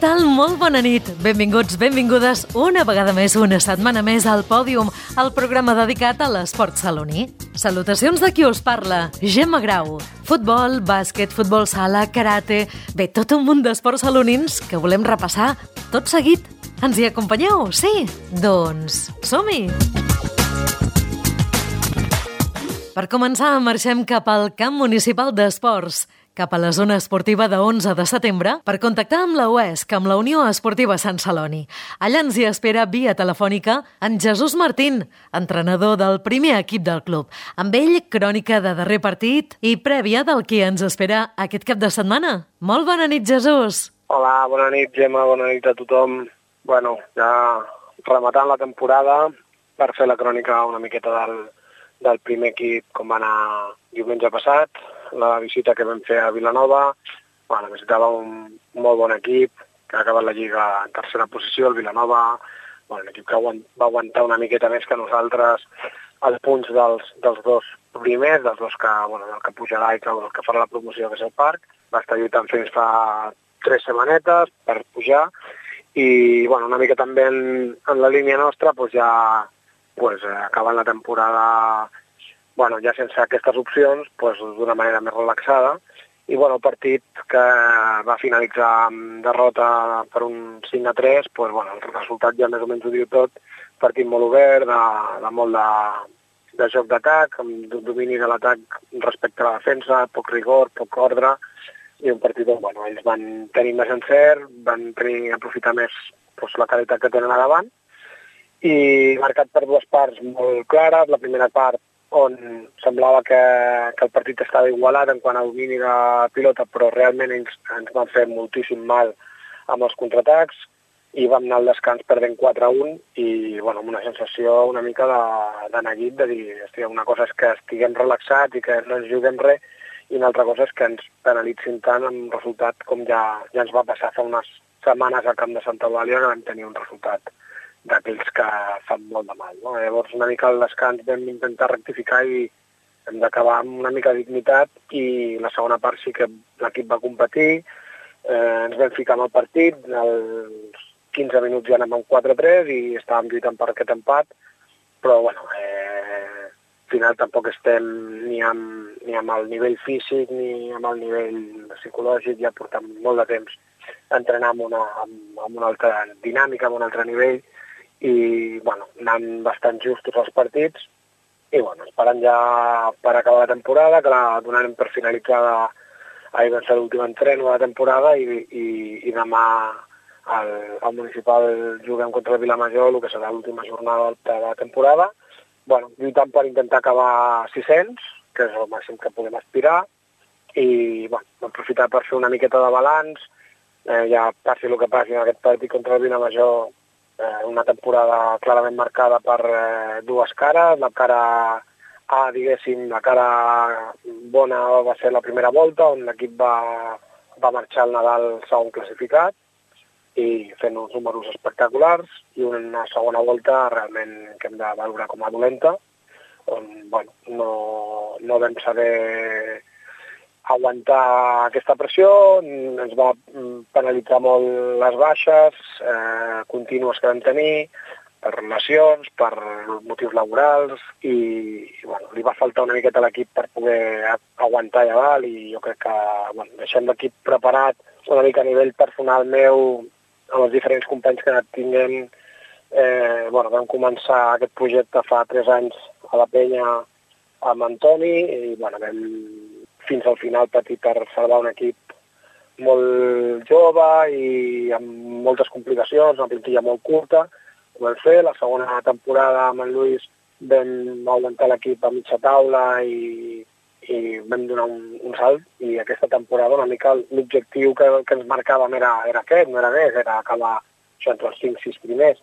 tal? Molt bona nit. Benvinguts, benvingudes una vegada més, una setmana més al Pòdium, el programa dedicat a l'esport saloní. Salutacions de qui us parla, Gemma Grau. Futbol, bàsquet, futbol sala, karate... Bé, tot un munt d'esports salonins que volem repassar tot seguit. Ens hi acompanyeu? Sí? Doncs som-hi! Per començar, marxem cap al Camp Municipal d'Esports, cap a la zona esportiva de 11 de setembre, per contactar amb la UESC, amb la Unió Esportiva Sant Celoni. Allà ens hi espera via telefònica en Jesús Martín, entrenador del primer equip del club. Amb ell, crònica de darrer partit i prèvia del que ens espera aquest cap de setmana. Molt bona nit, Jesús! Hola, bona nit, Gemma, bona nit a tothom. Bueno, ja rematant la temporada per fer la crònica una miqueta del primer equip com va anar diumenge passat, la visita que vam fer a Vilanova. Bueno, visitava un molt bon equip que ha acabat la Lliga en tercera posició, el Vilanova, un equip que va aguantar una miqueta més que nosaltres els punts dels dos primers, dels dos que, el que pujarà i el que farà la promoció, que és el Parc. Va estar lluitant fins fa 3 setmanetes per pujar i una mica també en la línia nostra acabant la temporada ja sense aquestes opcions, d'una manera més relaxada. I el partit que va finalitzar amb derrota per un 5-3, el resultat ja més o menys ho diu tot, partit molt obert, de molt de joc d'atac, amb domini de l'atac respecte a la defensa, poc rigor, poc ordre, i un partit on ells van tenir més encert, van aprofitar més la qualitat que tenen a davant, i marcat per dues parts molt clares. La primera part on semblava que el partit estava igualat en quant a domini de pilota, però realment ens van fer moltíssim mal amb els contraatacs i vam anar al descans perdent 4-1 i amb una sensació una mica de neguit, de dir, hòstia, una cosa és que estiguem relaxats i que no ens juguem res i una altra cosa és que ens penalitzin tant amb un resultat com ja ens va passar fa unes setmanes al camp de Santa Eulàlia, que vam tenir un resultat d'aquells que fan molt de mal, no? Llavors una mica al descans vam intentar rectificar i hem d'acabar amb una mica de dignitat i la segona part sí que l'equip va competir, ens vam ficar en el partit, als 15 minuts ja anem amb 4-3 i estàvem lluitant per aquest empat, però al final tampoc estem ni amb el nivell físic ni amb el nivell psicològic, ja portem molt de temps entrenar amb una altra dinàmica, amb un altre nivell, i anant bastant justos els partits i esperant ja per acabar la temporada, que la donarem per finalitzada. Ahir va ser l'últim entreno de la temporada i demà al municipal juguem contra el Vilamajor, el que serà l'última jornada de la temporada, lluitant per intentar acabar 600, que és el màxim que podem aspirar, i aprofitar per fer una miqueta de balanç, ja passi el que passi en aquest partit contra el Vilamajor. Una temporada clarament marcada per dues cares. La cara A, diguéssim, la cara bona va ser la primera volta, on l'equip va marxar al Nadal segon classificat i fent uns números espectaculars, i una segona volta realment que hem de valorar com a dolenta, on no vam saber aguantar aquesta pressió, ens va penalitzar molt les baixes contínues que vam tenir, per lesions, per motius laborals, i li va faltar una miqueta a l'equip per poder aguantar allà dalt, i jo crec que deixem l'equip preparat una mica a nivell personal meu, amb els diferents companys que tinguem. Vam començar aquest projecte fa 3 anys a la Penya amb Antoni, i vam fins al final patir per salvar un equip molt jove i amb moltes complicacions, una plantilla molt curta. Ho vam fer. La segona temporada amb en Lluís vam augmentar l'equip a mitja taula i vam donar un salt, i aquesta temporada una mica l'objectiu que ens marcàvem era aquest, no era més, era acabar entre els 5-6 primers,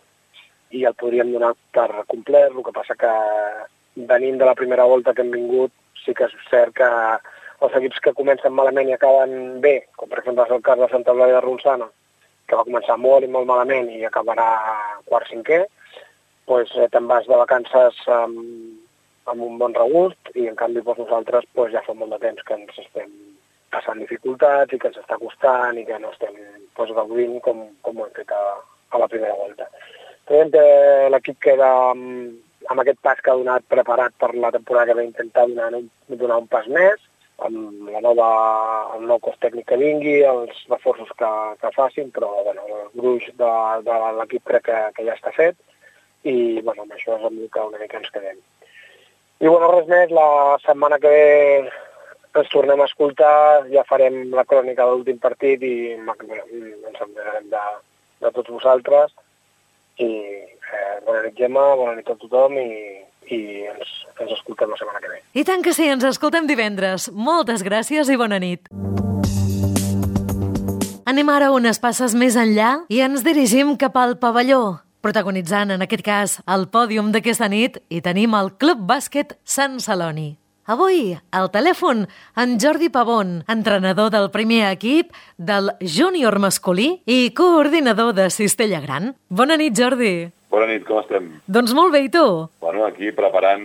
i el podríem donar per complet. El que passa que venint de la primera volta que hem vingut, sí que és cert que els equips que comencen malament i acaben bé, com per exemple és el cas de Santa Eulàlia de Ronçana, que va començar molt i molt malament i acabarà quart-cinquè, te'n vas de vacances amb un bon regust, i en canvi nosaltres ja fa molt de temps que ens estem passant dificultats i que ens està costant i que no estem gaudint com ho hem fet a la primera volta. Creiem que l'equip queda amb aquest pas que ha donat preparat per la temporada que va intentar donar un pas més, amb el nou cos tècnic que vingui, els reforços que facin, però el gruix de l'equip crec que ja està fet i amb això és amb el que una mica ens quedem. I res més, la setmana que ve ens tornem a escoltar, ja farem la crònica de l'últim partit i ens enterarem de tots vosaltres. I bona nit, Gemma, bona nit a tothom i ens escoltem la setmana que ve. I tant que sí, ens escoltem divendres. Moltes gràcies i bona nit. Anem ara unes passes més enllà i ens dirigim cap al pavelló. Protagonitzant, en aquest cas, el pòdium d'aquesta nit, hi tenim el Club Bàsquet Sant Celoni. Avui, al telèfon, en Jordi Pavón, entrenador del primer equip, del júnior masculí i coordinador de Cistella Gran. Bona nit, Jordi. Bona nit, com estem? Doncs molt bé, i tu? Bueno, aquí preparant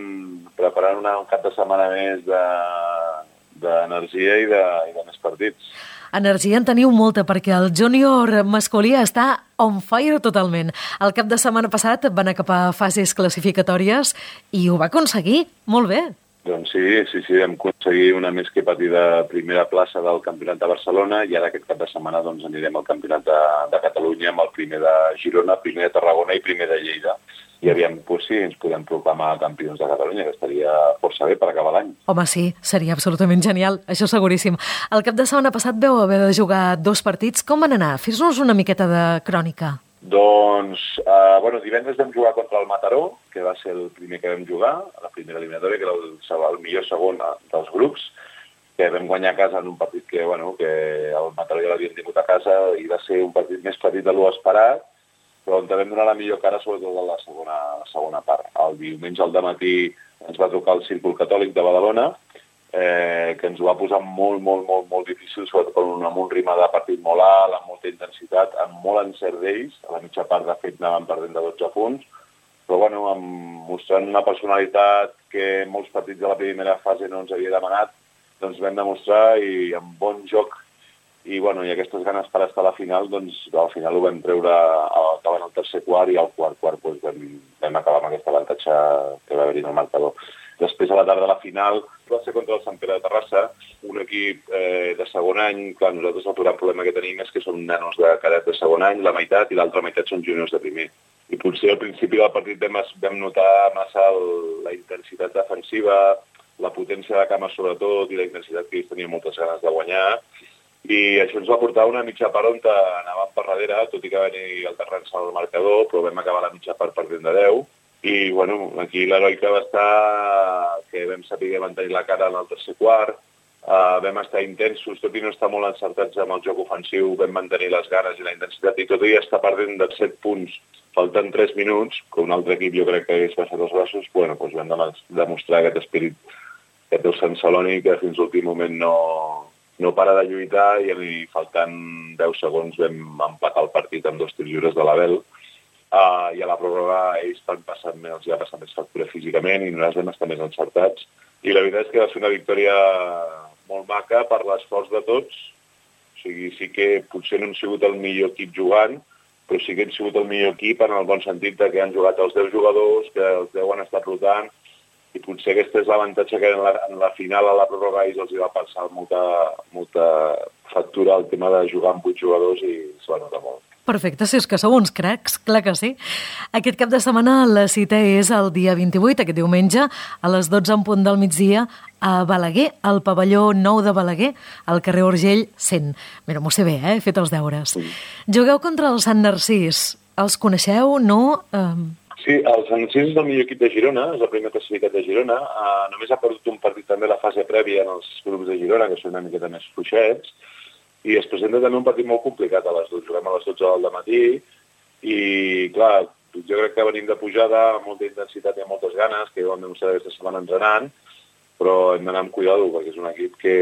un cap de setmana més d'energia i de més partits. Energia en teniu molta, perquè el júnior masculí està on fire totalment. El cap de setmana passat va anar cap a fases classificatòries i ho va aconseguir molt bé. Doncs sí, vam aconseguir una més que petita primera plaça del Campionat de Barcelona i ara aquest cap de setmana anirem al Campionat de Catalunya amb el primer de Girona, primer de Tarragona i primer de Lleida. I aviam, sí, ens podem proclamar campions de Catalunya, que estaria força bé per acabar l'any. Home, sí, seria absolutament genial, això seguríssim. El cap de setmana passat vau haver de jugar 2 partits. Com van anar? Fes-nos una miqueta de crònica. Doncs, divendres vam jugar contra el Mataró, que va ser el primer que vam jugar, a la primera eliminatòria, que era el millor segon dels grups, que vam guanyar a casa en un partit que el Mataró ja l'havien tingut a casa i va ser un partit més petit de lo esperat, però on vam donar la millor cara, sobretot a la segona part. El diumenge al dematí ens va tocar el Círcul Catòlic de Badalona, que ens ho va posar molt difícil, sobretot amb un ritme de partit molt alt, amb molta intensitat, amb molt encert d'ells. A la mitja part, de fet, anàvem perdent de 12 punts, però mostrant una personalitat que en molts partits de la primera fase no ens havia demanat, doncs vam demostrar i amb bon joc i aquestes ganes per estar a la final, doncs al final ho vam treure acabant el tercer quart i al quart vam acabar amb aquest avantatge que va haver-hi en el marcador. Després, a la tarda de la final, va ser contra el Sant Pere de Terrassa, un equip de segon any. Clar, nosaltres el gran problema que tenim és que són nanos de cadet de segon any, la meitat, i l'altra meitat són juniors de primer. I potser al principi del partit vam notar massa la intensitat defensiva, la potència de cama sobretot i la intensitat que ells tenien moltes ganes de guanyar. I això ens va portar una mitja part on anàvem per darrere, tot i que va venir alternant-se al marcador, però vam acabar la mitja part perdent de 10. I, aquí l'heroica va estar que vam saber mantenir la cara en el tercer quart, vam estar intensos, tot i no estar molt encertats amb el joc ofensiu, vam mantenir les ganes i la intensitat, i tot i estar perdent de 7 punts, faltant 3 minuts, que un altre equip jo crec que hagués baixat els braços, vam demostrar aquest espírit que té el Sant Celoni, que fins a l'últim moment no para de lluitar, i faltant 10 segons vam empatar el partit amb 2 tirs lliures de l'Abel. I a la pròrroga ells els ha passat més factura físicament i nosaltres vam estar més encertats. I la veritat és que va ser una victòria molt maca per l'esforç de tots. O sigui, sí que potser no hem sigut el millor equip jugant, però sí que hem sigut el millor equip en el bon sentit que han jugat els 10 jugadors, que els 10 han estat rotant, i potser aquest és l'avantatge que en la final a la pròrroga ells els va passar molta factura el tema de jugar amb 8 jugadors i es va notar molt. Perfecte, si és que sou uns cracs, clar que sí. Aquest cap de setmana la cita és el dia 28, aquest diumenge, a les 12 en punt del migdia, a Balaguer, al pavelló 9 de Balaguer, al carrer Urgell 100. Mira, m'ho sé bé, he fet els deures. Sí. Jugueu contra el Sant Narcís. Els coneixeu, no? Sí, el Sant Narcís és el millor equip de Girona, és el primer classificat de Girona. Només ha perdut un partit també a la fase prèvia en els grups de Girona, que són una miqueta més fluixets. I es presenta també un partit molt complicat a les 12. Juguem a les 12 del matí i, clar, jo crec que venim de pujada amb molta intensitat i amb moltes ganes, que ho hem demostrat aquesta setmana entrenant, però hem d'anar amb cuidado, perquè és un equip que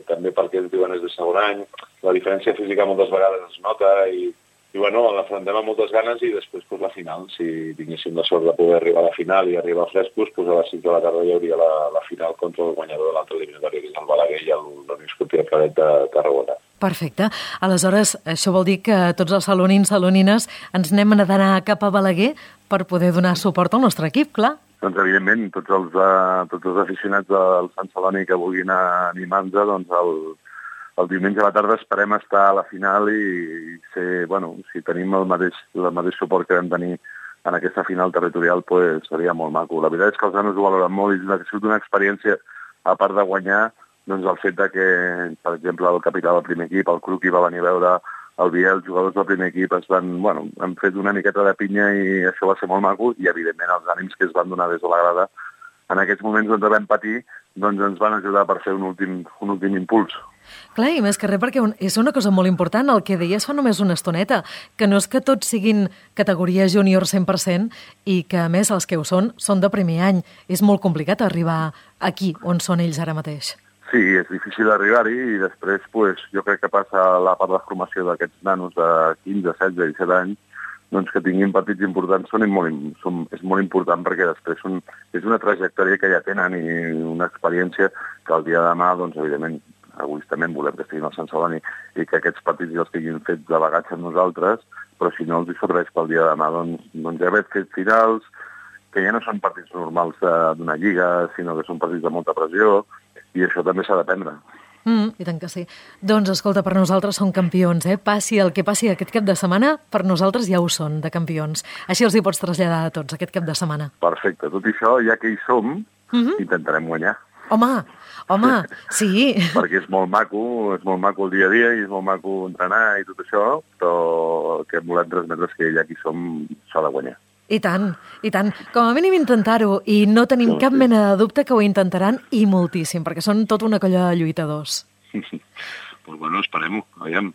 també perquè ells diuen és de segon any, la diferència física moltes vegades es nota i I bueno, l'afrontem amb moltes ganes i després la final. Si tinguéssim la sort de poder arribar a la final i arribar frescos, a les 5 de la tarda hi hauria la final contra el guanyador de l'altre eliminatori, que és el Balaguer i el Unió Esportiva Claret de Tarragona. Perfecte. Aleshores, això vol dir que tots els salonins, salonines, ens n'hem d'anar cap a Balaguer per poder donar suport al nostre equip, clar. Doncs, evidentment, tots els aficionats del Sant Celoni que vulguin animar-nos, doncs el diumenge a la tarda esperem estar a la final i ser, si tenim el mateix suport que vam tenir en aquesta final territorial, seria molt maco. La veritat és que els nanos ho valoren molt i ha sigut una experiència, a part de guanyar, doncs el fet de que, per exemple, el capità del primer equip, el Cruqui, va venir a veure el Biel, els jugadors del primer equip han fet una miqueta de pinya i això va ser molt maco i, evidentment, els ànims que es van donar des de la grada en aquests moments on vam patir ens van ajudar per fer un últim impuls. Clar, i més que res, perquè és una cosa molt important, el que deies fa només una estoneta, que no és que tots siguin categoria júnior 100% i que, a més, els que ho són de primer any. És molt complicat arribar aquí, on són ells ara mateix. Sí, és difícil arribar-hi i després jo crec que passa la part de formació d'aquests nanos de 15, 16, 17 anys, doncs que tinguin partits importants és molt important perquè després és una trajectòria que ja tenen i una experiència que el dia de demà, doncs, evidentment, egoistament volem que estiguin al Sant Celoni i que aquests partits ja els tinguin fets delegats amb nosaltres, però si no els hi serveix pel dia de demà, doncs ja haver fet finals, que ja no són partits normals d'una lliga, sinó que són partits de molta pressió, i això també s'ha d'aprendre. I tant que sí. Doncs, escolta, per nosaltres són campions, Passi el que passi aquest cap de setmana, per nosaltres ja ho són, de campions. Així els hi pots traslladar a tots aquest cap de setmana. Perfecte. Tot això, ja que hi som, intentarem guanyar. Home, sí. Perquè és molt maco el dia a dia i és molt maco entrenar i tot això, però el que volem transmetre és que ja que hi som s'ha de guanyar. I tant. Com a mínim intentar-ho i no tenim cap mena de dubte que ho intentaran i moltíssim, perquè són tota una colla de lluitadors. Pues esperem-ho. Aviam,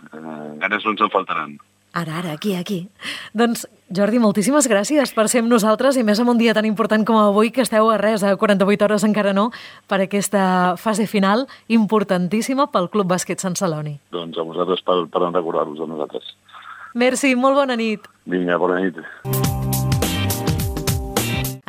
ganes no ens en faltaran. Ara, aquí. Doncs, Jordi, moltíssimes gràcies per ser amb nosaltres i més en un dia tan important com avui, que esteu a 48 hores encara no, per aquesta fase final importantíssima pel Club Bàsquet Sant Celoni. Doncs a vosaltres per recordar-vos a nosaltres. Merci, molt bona nit. Vinga, bona nit.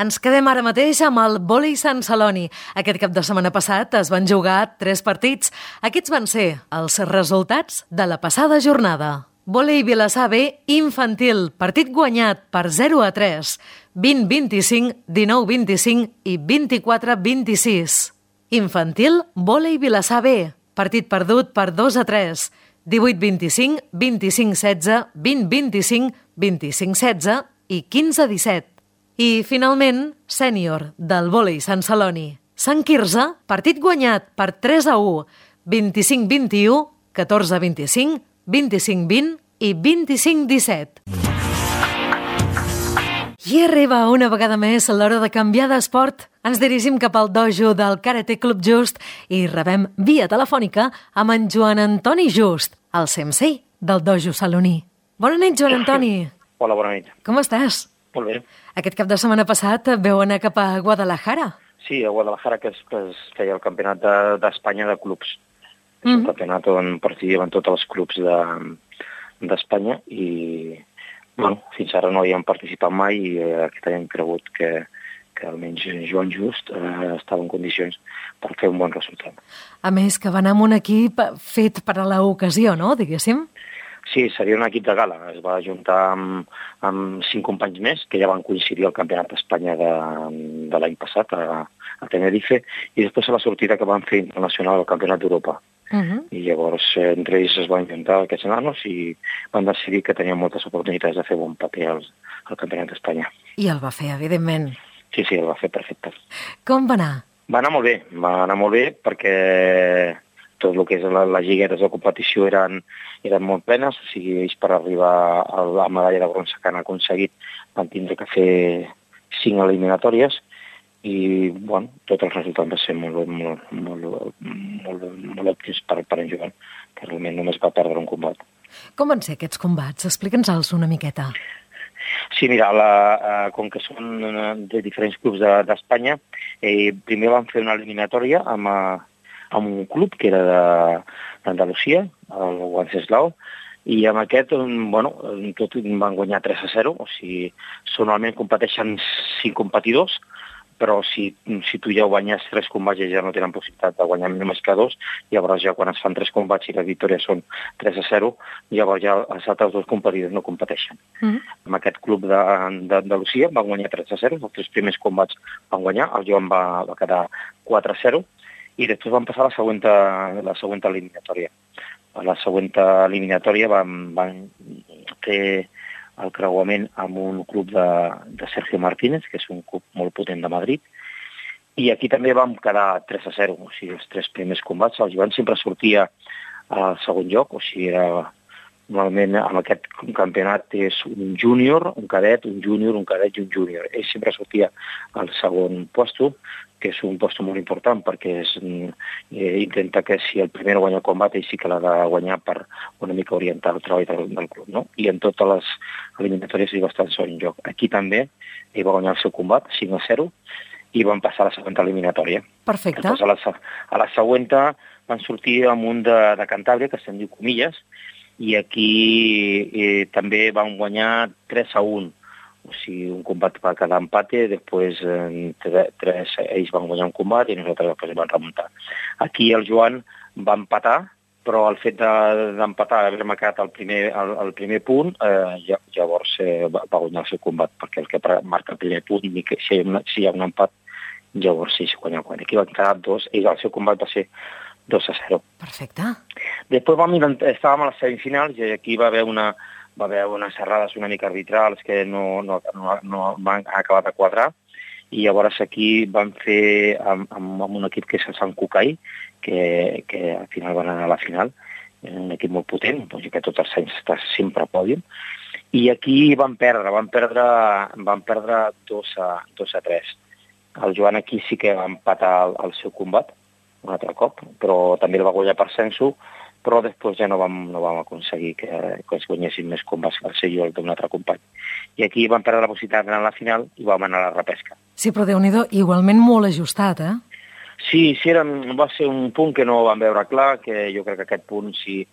Ens quedem ara mateix amb el vòlei Sant Celoni. Aquest cap de setmana passat es van jugar 3 partits. Aquests van ser els resultats de la passada jornada. Vòlei Vilassar B infantil, partit guanyat per 0-3, 20-25, 19-25 i 24-26. Infantil, Vòlei Vilassar B, partit perdut per 2-3, 18-25, 25-16, 20-25, 25-16 i 15-17. I, finalment, sènior del vòlei Sant Celoni. Sant Quirze, partit guanyat per 3-1, 25-21, 14-25, 25-20 i 25-17. I arriba una vegada més l'hora de canviar d'esport. Ens dirigim cap al dojo del Karate Club Just i rebem via telefònica amb en Joan Antoni Just, el sensei del dojo saloní. Bona nit, Joan Antoni. Hola, bona nit. Com estàs? Molt bé. Aquest cap de setmana passat veu anar cap a Guadalajara. Sí, a Guadalajara, que es feia el campionat d'Espanya de clubs. És un campionat on participen tots els clubs d'Espanya i, fins ara no hi hem participat mai i aquest any hem cregut que almenys Joan Just estava en condicions per fer un bon resultat. A més, que va anar amb un equip fet per a l'ocasió, no?, diguéssim? Sí, seria un equip de gala. Es va ajuntar amb 5 companys més, que ja van coincidir al Campionat d'Espanya de l'any passat, a Tenerife, i després a la sortida que van fer internacional al Campionat d'Europa. I llavors, entre ells es van ajuntar aquests nanos i van decidir que tenien moltes oportunitats de fer bon paper al Campionat d'Espanya. I el va fer, evidentment. Sí, el va fer perfecte. Com va anar? Va anar molt bé perquè tot el que és les lligueres de competició eren molt plenes, o sigui, ells per arribar a la medalla de bronze que han aconseguit van tindre que fer 5 eliminatòries i, tot el resultat va ser molt òptim per en Joan, que realment només va perdre un combat. Com van ser aquests combats? Explica'ns-els una miqueta. Sí, mira, com que són de diferents clubs d'Espanya, primer van fer una eliminatòria amb un club que era d'Andalusia, el Wenceslao, I amb aquest, tot van guanyar 3-0, o sigui, normalment competeixen 5 competidors, però si tu ja guanyes 3 combats i ja no tenen possibilitat de guanyar només que 2, llavors ja quan es fan 3 combats i les victòries són 3-0, llavors ja els altres 2 competidors no competeixen. Amb aquest club d'Andalusia van guanyar 3-0, els 3 primers combats van guanyar, el Joan va quedar 4-0, i després van passar a la següent eliminatòria. A la següent eliminatòria van fer el creuament amb un club de Sergio Martínez, que és un club molt potent de Madrid, i aquí també vam quedar 3-0, o sigui, els 3 primers combats. El Joan sempre sortia al segon lloc, o sigui, normalment en aquest campionat és un júnior, un cadet, un júnior, un cadet i un júnior. Ell sempre sortia al segon lloc, que és un lloc molt important perquè intenta que si el primer guanya el combat, ell sí que l'ha de guanyar per una mica orientar el treball del club, no? I en totes les eliminatòries ell va estar al segon lloc. Aquí també ell va guanyar el seu combat, 5-0, i van passar a la següent eliminatòria. Perfecte. Després, a la següent van sortir amb un de Cantàbria, que se'n diu Comilles, i aquí també van guanyar 3-1. O sigui, un combat va quedar empate, després ells van guanyar un combat i nosaltres després van remuntar. Aquí el Joan va empatar, però el fet d'empatar, d'haver-me quedat el primer punt, llavors va guanyar el seu combat, perquè el que marca el primer punt, si hi ha un empat, llavors sí, guanya. Aquí van quedar 2, i el seu combat va ser 2-0. Perfecte. Després estàvem a les semifinals i aquí va haver unes errades una mica arbitrals que no van acabar de quadrar, i llavors aquí van fer amb un equip que és el Sant Cucaí, que al final van anar a la final, un equip molt potent, que tots els anys està sempre a pòdium, i aquí van perdre 2-3. El Joan aquí sí que va empatar el seu combat, un altre cop, però també el va guanyar per censo, però després ja no vam aconseguir que es guanyessin més combats al ser jo d'un altre company. I aquí vam perdre la possibilitat d'anar a la final i vam anar a la repesca. Sí, però Déu-n'hi-do, igualment molt ajustat, eh? Sí, va ser un punt que no vam veure clar, que jo crec que aquest punt, si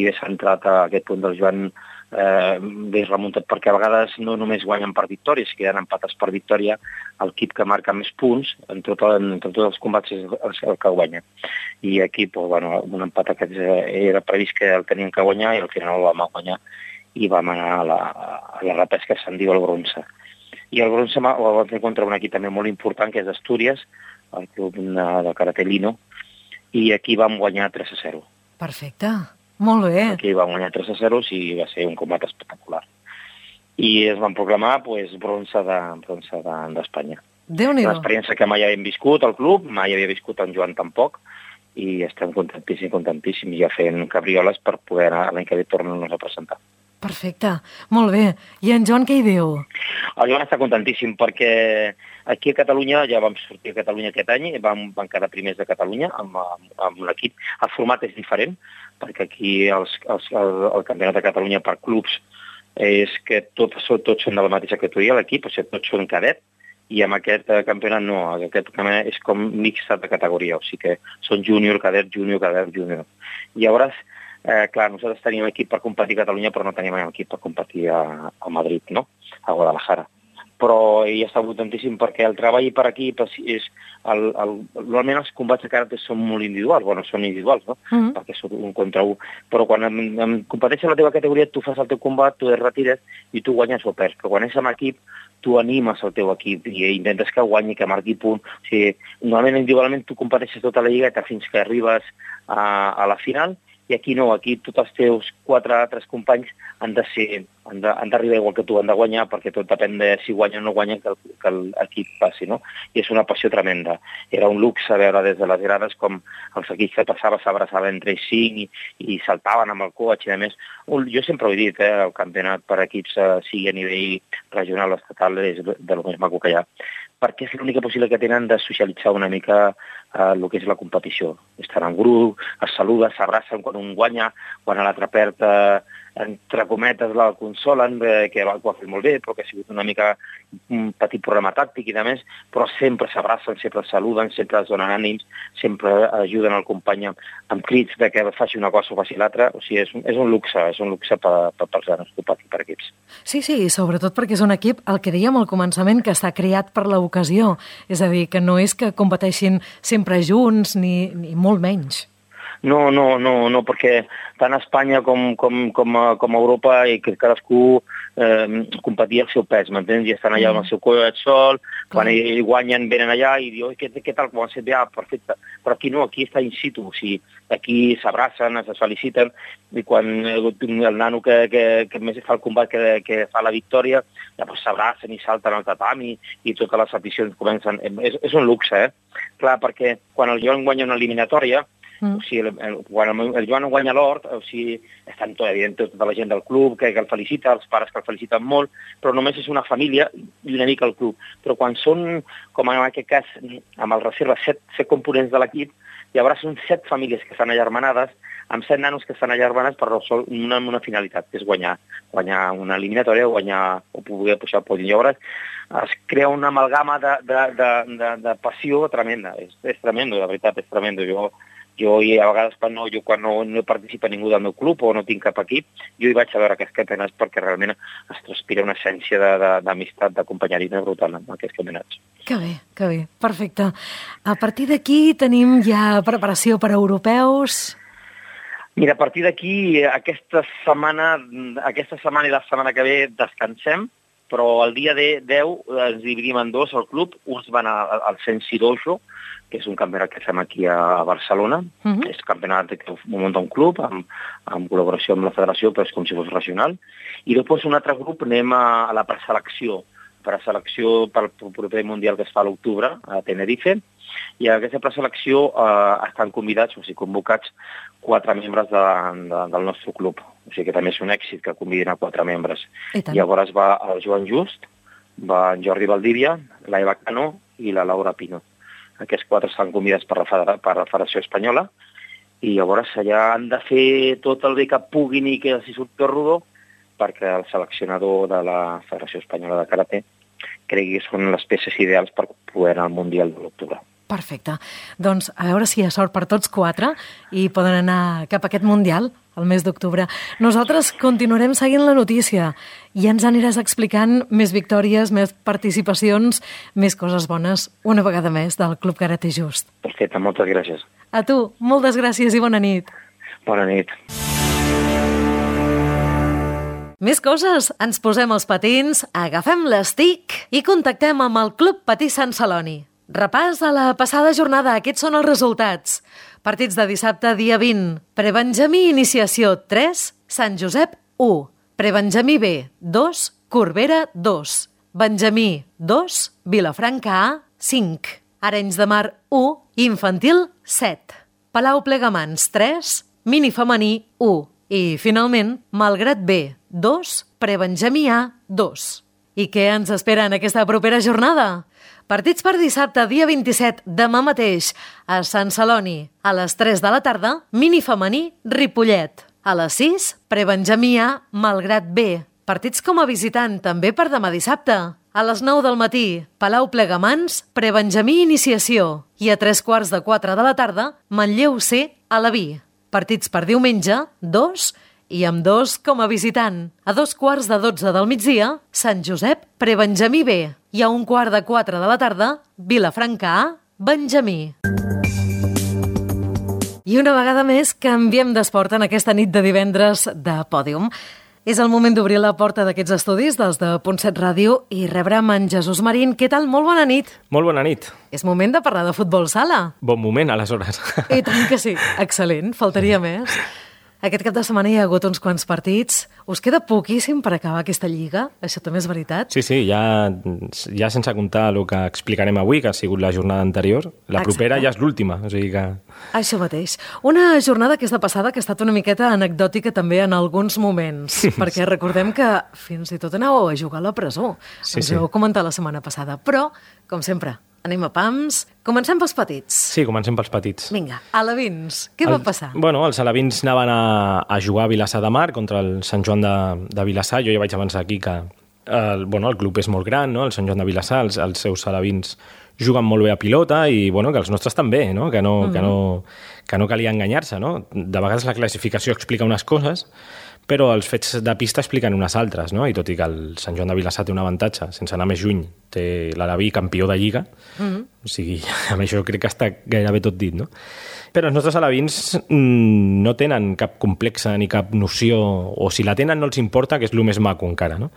és entrat a aquest punt del Joan, és remuntat, perquè a vegades no només guanyen per victòria, si queden empatats per victòria, l'equip que marca més punts en tots els combats és el que guanya. I aquí, un empat aquest era previst que el tenien que guanyar i al final el vam guanyar i vam anar a la repesca, se'n diu el bronze. I el bronze el vam fer contra un equip també molt important, que és d'Astúries, el club de Karate Lino, i aquí vam guanyar 3-0. Perfecte, molt bé. Aquí vam guanyar 3-0 i va ser un combat espectacular. I es van proclamar bronze d'Espanya. Déu-n'hi-do. Una experiència que mai havíem viscut al club, mai havia viscut en Joan tampoc, i estem contentíssims, ja fent cabrioles per poder anar l'any que ve tornar-nos a presentar. Perfecte, molt bé. I en Joan què hi diu? El Joan està contentíssim perquè aquí a Catalunya, ja vam sortir a Catalunya aquest any, van quedar primers de Catalunya amb l'equip. El format és diferent, perquè aquí el campionat de Catalunya per clubs és que tots són de la mateixa categoria, l'equip, o sigui, tots són cadet, i amb aquest campionat no, aquest campionat és com mixta de categoria, o sigui que són júnior, cadet, júnior, cadet, júnior. Llavors, clar, nosaltres teníem equip per competir a Catalunya, però no teníem equip per competir a Madrid, no? A Guadalajara. Però ell està contentíssim perquè el treball per aquí és... Normalment els combats de karate són molt individuals, són individuals, no? Perquè són un contra un. Però quan competeixes a la teva categoria, tu fas el teu combat, tu et retires i tu guanyes o perds. Però quan és amb equip, tu animes el teu equip i intentes que guanyi, que marqui punt. O sigui, normalment individualment tu competeixes tota la lliga fins que arribes a la final, i aquí no, aquí tots els teus 4 altres companys han d'arribar igual que tu, han de guanyar, perquè tot depèn de si guanya o no guanya que l'equip passi, no? I és una passió tremenda. Era un luxe veure des de les grades com els equips que s'abraçaven entre ells 5 i saltaven amb el coach i a més. Jo sempre ho he dit, el campionat per equips, sigui a nivell regional o estatal, és de lo més maco que hi ha, perquè és l'única possibilitat que tenen de socialitzar una mica el que és la competició. Estan en grup, es saluden, s'abracen quan un guanya, quan l'altre perd, entre cometes, la consolen, que ho ha fet molt bé, però que ha sigut una mica un petit problema tàctic i de més, però sempre s'abracen, sempre es saluden, sempre es donen ànims, sempre ajuden el company amb crits de que faci una cosa o faci l'altra. O sigui, és un luxe pels nanos per equips. Sí, sobretot perquè és un equip, el que dèiem al començament, que està creat per l'ocasió. És a dir, que no és que competeixin sempre junts, ni molt menys. No, perquè tant a Espanya com a Europa i que cadascú competia al seu pes, m'entens? I estan allà amb el seu coet sol, quan ells guanyen venen allà i diuen, què tal, com han fet bé? Perfecte. Però aquí no, aquí està in situ, o sigui, aquí s'abracen, es feliciten, i quan el nano que més fa el combat, que fa la victòria, llavors s'abracen i salten al tatami i totes les aficions comencen. És un luxe, Clar, perquè quan el Joan guanya una eliminatòria, o sigui, quan el Joan guanya l'or, o sigui, estan tota la gent del club que el felicita, els pares que el feliciten molt, però només és una família i una mica el club. Però quan són, com en aquest cas, amb el reserva, 7 components de l'equip, llavors són 7 famílies que estan allarmanades, amb 7 nanos que estan allarmanats per una finalitat, que és guanyar una eliminatòria o poder pujar al podi. Llavors es crea una amalgama de passió tremenda. És tremendo, de veritat, és tremendo. Jo i a vegades quan no participa ningú del meu club o no tinc cap equip, jo hi vaig a veure aquests campionats perquè realment es transpira una essència d'amistat, de companyerisme brutal en aquests campionats. Que bé, perfecte. A partir d'aquí tenim ja preparació per a europeus? Mira, a partir d'aquí, aquesta setmana i la setmana que ve descansem, però el dia 10 ens dividim en dos al club. Uns van al Sensi Dojo, que és un campionat que fem aquí a Barcelona. És un campionat que ho munta un club en col·laboració amb la federació, però és com si fos regional. I després un altre grup anem a la preselecció pel proper mundial que es fa a l'octubre a Tenerife. I a aquesta preselecció estan convidats, o sigui, convocats 4 membres del nostre club. O sigui que també és un èxit que convidin a 4 membres. Llavors va el Joan Just, va en Jordi Valdivia, l'Eva Cano i la Laura Pino. Aquests 4 estan convidats per la Federació Espanyola i llavors allà han de fer tot el bé que puguin i que els hi surti rodó perquè el seleccionador de la Federació Espanyola de Karate cregui que són les peces ideals per poder anar al Mundial de l'octubre. Perfecte. Doncs a veure si hi ha sort per tots 4 i poden anar cap a aquest Mundial el mes d'octubre. Nosaltres continuarem seguint la notícia i ens aniràs explicant més victòries, més participacions, més coses bones, una vegada més, del Club Karate Just. Perfecte, moltes gràcies. A tu, moltes gràcies i bona nit. Bona nit. Més coses, ens posem els patins, agafem l'estic i contactem amb el Club Patí Sant Celoni. Repàs a la passada jornada, aquests són els resultats. Partits de dissabte, dia 20. Prebenjamí Iniciació 3, Sant Josep 1. Prebenjamí B 2, Corbera 2. Benjamí 2, Vilafranca A 5. Arenys de Mar 1, Infantil 7. Palau Plegamans 3, Mini Femení 1. I, finalment, Malgrat B 2, Prebenjamí A 2. I què ens espera en aquesta propera jornada? Partits per dissabte, dia 27, demà mateix, a Sant Celoni. A les 3 de la tarda, Mini Femení, Ripollet. A les 6, Prebenjamí A, Malgrat B. Partits com a visitant, també per demà dissabte. A les 9 del matí, Palau Plegamans, Prebenjamí Iniciació. I a 3:45 de la tarda, Manlleu C, Alaví. Partits per diumenge, 2, i amb 2 com a visitant. A 2:15 del migdia, Sant Josep, Prebenjamí B. I a 3:15 de la tarda, Vilafranca A, Benjamí. I una vegada més canviem d'esport en aquesta nit de divendres de Pòdium. És el moment d'obrir la porta d'aquests estudis dels de Punt7 Ràdio i rebre'm en Jesús Marín. Què tal? Molt bona nit. Molt bona nit. És moment de parlar de futbol sala. Bon moment, aleshores. I tant que sí. Excel·lent, faltaria més. Aquest cap de setmana hi ha hagut uns quants partits. Us queda poquíssim per acabar aquesta lliga? Això també és veritat? Sí, ja sense comptar el que explicarem avui, que ha sigut la jornada anterior. La propera ja és l'última, o sigui que... Això mateix. Una jornada que és de passada, que ha estat una miqueta anecdòtica també en alguns moments, perquè recordem que fins i tot anàveu a jugar a la presó. Ens ho heu comentat la setmana passada, però, com sempre, anem a pams. Comencem pels petits. Sí, comencem pels petits. Vinga, alevins, què va passar? Bueno, els alevins anaven a jugar a Vilassar de Mar contra el Sant Joan de Vilassar. Jo ja vaig avançar aquí que el club és molt gran, no? El Sant Joan de Vilassar, els seus alevins juguen molt bé a pilota i que els nostres també, no? Que no calia enganyar-se, no? De vegades la classificació explica unes coses, però els fets de pista expliquen unes altres, no? I tot i que el Sant Joan de Vilassar té un avantatge, sense anar més lluny, té l'aleví campió de Lliga, o sigui, amb això crec que està gairebé tot dit, no? Però els nostres alevins no tenen cap complexa ni cap noció, o si la tenen no els importa, que és el més maco encara, no?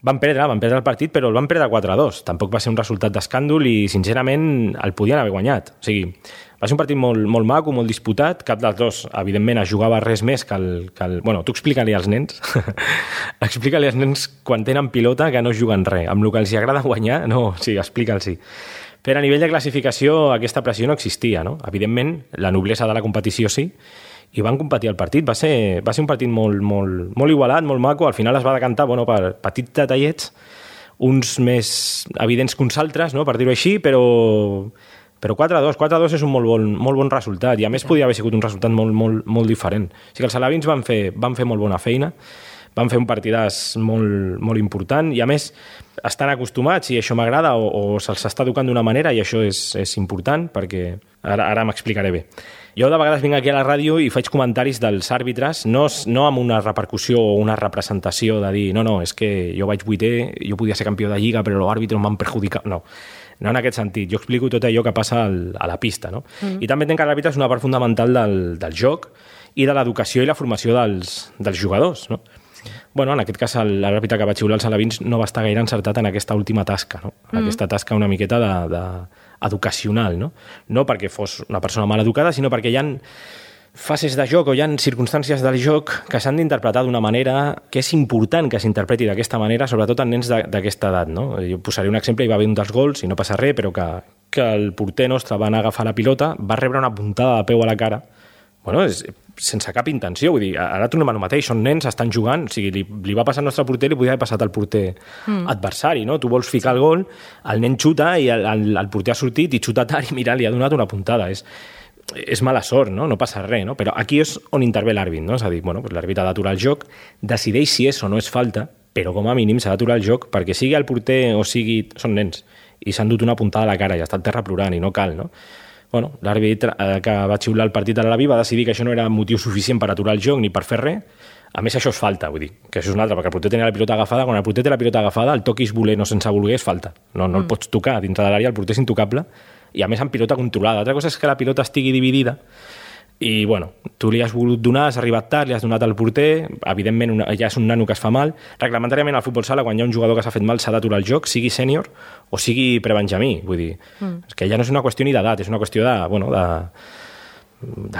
Van perdre el partit, però el van perdre 4-2. Tampoc va ser un resultat d'escàndol i, sincerament, el podien haver guanyat. O sigui, va ser un partit molt, molt maco, molt disputat. Cap dels dos, evidentment, es jugava res més que el... Bueno, tu explica-li als nens. Explica-li als nens quan tenen pilota que no juguen res. Amb el que els agrada guanyar, no, sí, explica'ls-hi. Però a nivell de classificació aquesta pressió no existia, no? Evidentment, la noblesa de la competició sí, i van competir el partit. Va ser un partit molt igualat, molt maco. Al final es va decantar per petits detallets, uns més evidents que uns altres, no? Per dir-ho així, però 4-2 és un molt bon resultat, i a més podia haver sigut un resultat molt diferent. O sigui, els alevins van fer molt bona feina, van fer un partidàs molt important, i a més estan acostumats, i això m'agrada, o se'ls està educant d'una manera, i això és important, perquè ara m'explicaré bé. Jo de vegades vinc aquí a la ràdio i faig comentaris dels àrbitres, no amb una repercussió o una representació de dir no, és que jo vaig vuitè, jo podia ser campió de Lliga, però l'àrbitre em van perjudicar. No en aquest sentit. Jo explico tot allò que passa a la pista, no? I també entenc que l'àrbitre és una part fundamental del joc i de l'educació i la formació dels jugadors, no? Bueno, en aquest cas l'àrbitre que va xiular els alevins no va estar gaire encertat en aquesta última tasca, no? Aquesta tasca una miqueta educacional, no? No perquè fos una persona mal educada, sinó perquè hi ha fases de joc o hi ha circumstàncies del joc que s'han d'interpretar d'una manera que és important que s'interpreti d'aquesta manera, sobretot en nens d'aquesta edat, no? Jo posaré un exemple, hi va haver un dels gols, i no passa res, però que el porter nostre va anar a agafar la pilota, va rebre una puntada de peu a la cara, sense cap intenció, vull dir, ara tornem al mateix, són nens, estan jugant, o sigui, li va passar al nostre porter, li podia haver passat al porter adversari, no? Tu vols ficar el gol, el nen xuta i el porter ha sortit i xuta tard i mira, li ha donat una puntada, és mala sort, no? No passa res, no? Però aquí és on intervé l'àrbit, no? És a dir, l'àrbit ha d'aturar el joc, decideix si és o no és falta, però com a mínim s'ha d'aturar el joc, perquè sigui el porter o sigui... Són nens, i s'han dut una puntada a la cara i està al terra plorant, i no cal, no? L'àrbitre que va xiular el partit a l'Alaví va decidir que això no era motiu suficient per aturar el joc ni per fer res. A més, això és falta, vull dir, que això és un altre, perquè el porter tenia la pilota agafada. Quan el porter té la pilota agafada, el toquis voler no sense voler és falta. No el pots tocar dintre de l'àrea, el porter és intocable, i a més amb pilota controlada. Altra cosa és que la pilota estigui dividida i, tu li has volgut donar, has arribat tard, li has donat al porter, evidentment ja és un nano que es fa mal. Reglamentàriament al futbol sala, quan hi ha un jugador que s'ha fet mal, s'ha d'aturar el joc, sigui sènior o sigui prebenjamí, vull dir, és que ja no és una qüestió ni d'edat, és una qüestió de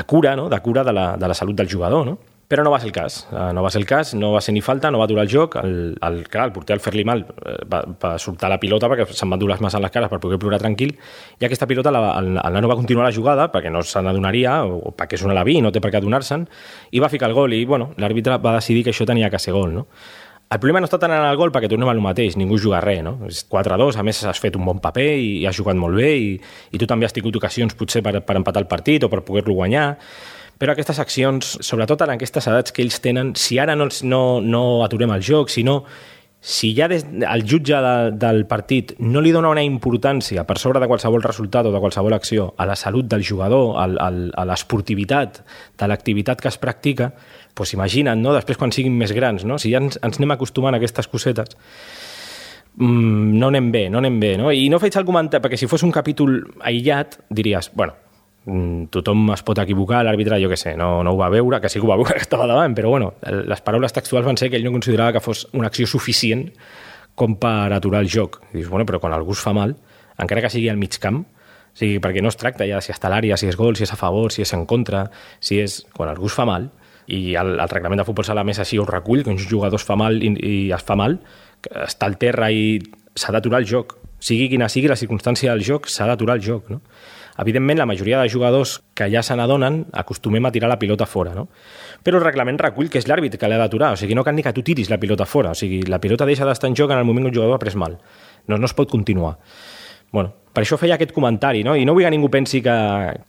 cura, no? De cura de la salut del jugador, no? Però no va ser el cas, no va ser ni falta, no va aturar el joc, clar, el porter al fer-li mal va soltar la pilota perquè se'n van dur les mans a les cares per poder plorar tranquil, i aquesta pilota el nano va continuar la jugada perquè no se n'adonaria, o perquè és un alaví i no té per què adonar-se'n, i va ficar el gol, i l'àrbitre va decidir que això tenia que ser gol, no? El problema no està tant en el gol perquè tornem al mateix, ningú juga res, no? És 4-2, a més has fet un bon paper i has jugat molt bé, i tu també has tingut ocasions potser per empatar el partit o per poder-lo guanyar. Però aquestes accions, sobretot en aquestes edats que ells tenen, si ara no aturem el joc, si ja el jutge del partit no li dona una importància per sobre de qualsevol resultat o de qualsevol acció a la salut del jugador, a l'esportivitat de l'activitat que es practica, doncs imagina't, no? Després quan siguin més grans, no? Si ja ens anem acostumant a aquestes cosetes, no anem bé, no? I no faig el comentari, perquè si fos un capítol aïllat, diries, tothom es pot equivocar, l'àrbitre, jo què sé, no ho va veure, que sí que ho va veure, que estava davant, però les paraules textuals van ser que ell no considerava que fos una acció suficient com per aturar el joc. I dius, però quan algú es fa mal, encara que sigui al mig camp, o sigui, perquè no es tracta ja si està a l'àrea, si és gol, si és a favor, si és en contra, si és... Quan algú es fa mal, i el reglament de futbol sala més així ho recull, que un jugador es fa mal i es fa mal, està al terra i s'ha d'aturar el joc. Sigui quina sigui la circumstància del joc, s'ha d'aturar el joc, no? Evidentment, la majoria de jugadors que ja se n'adonen acostumem a tirar la pilota fora, no? Però el reglament recull que és l'àrbit que l'ha d'aturar, o sigui, no cal ni que tu tiris la pilota fora, o sigui, la pilota deixa d'estar en joc en el moment que un jugador ha pres mal. No es pot continuar. Per això feia aquest comentari, no? I no vull que ningú pensi que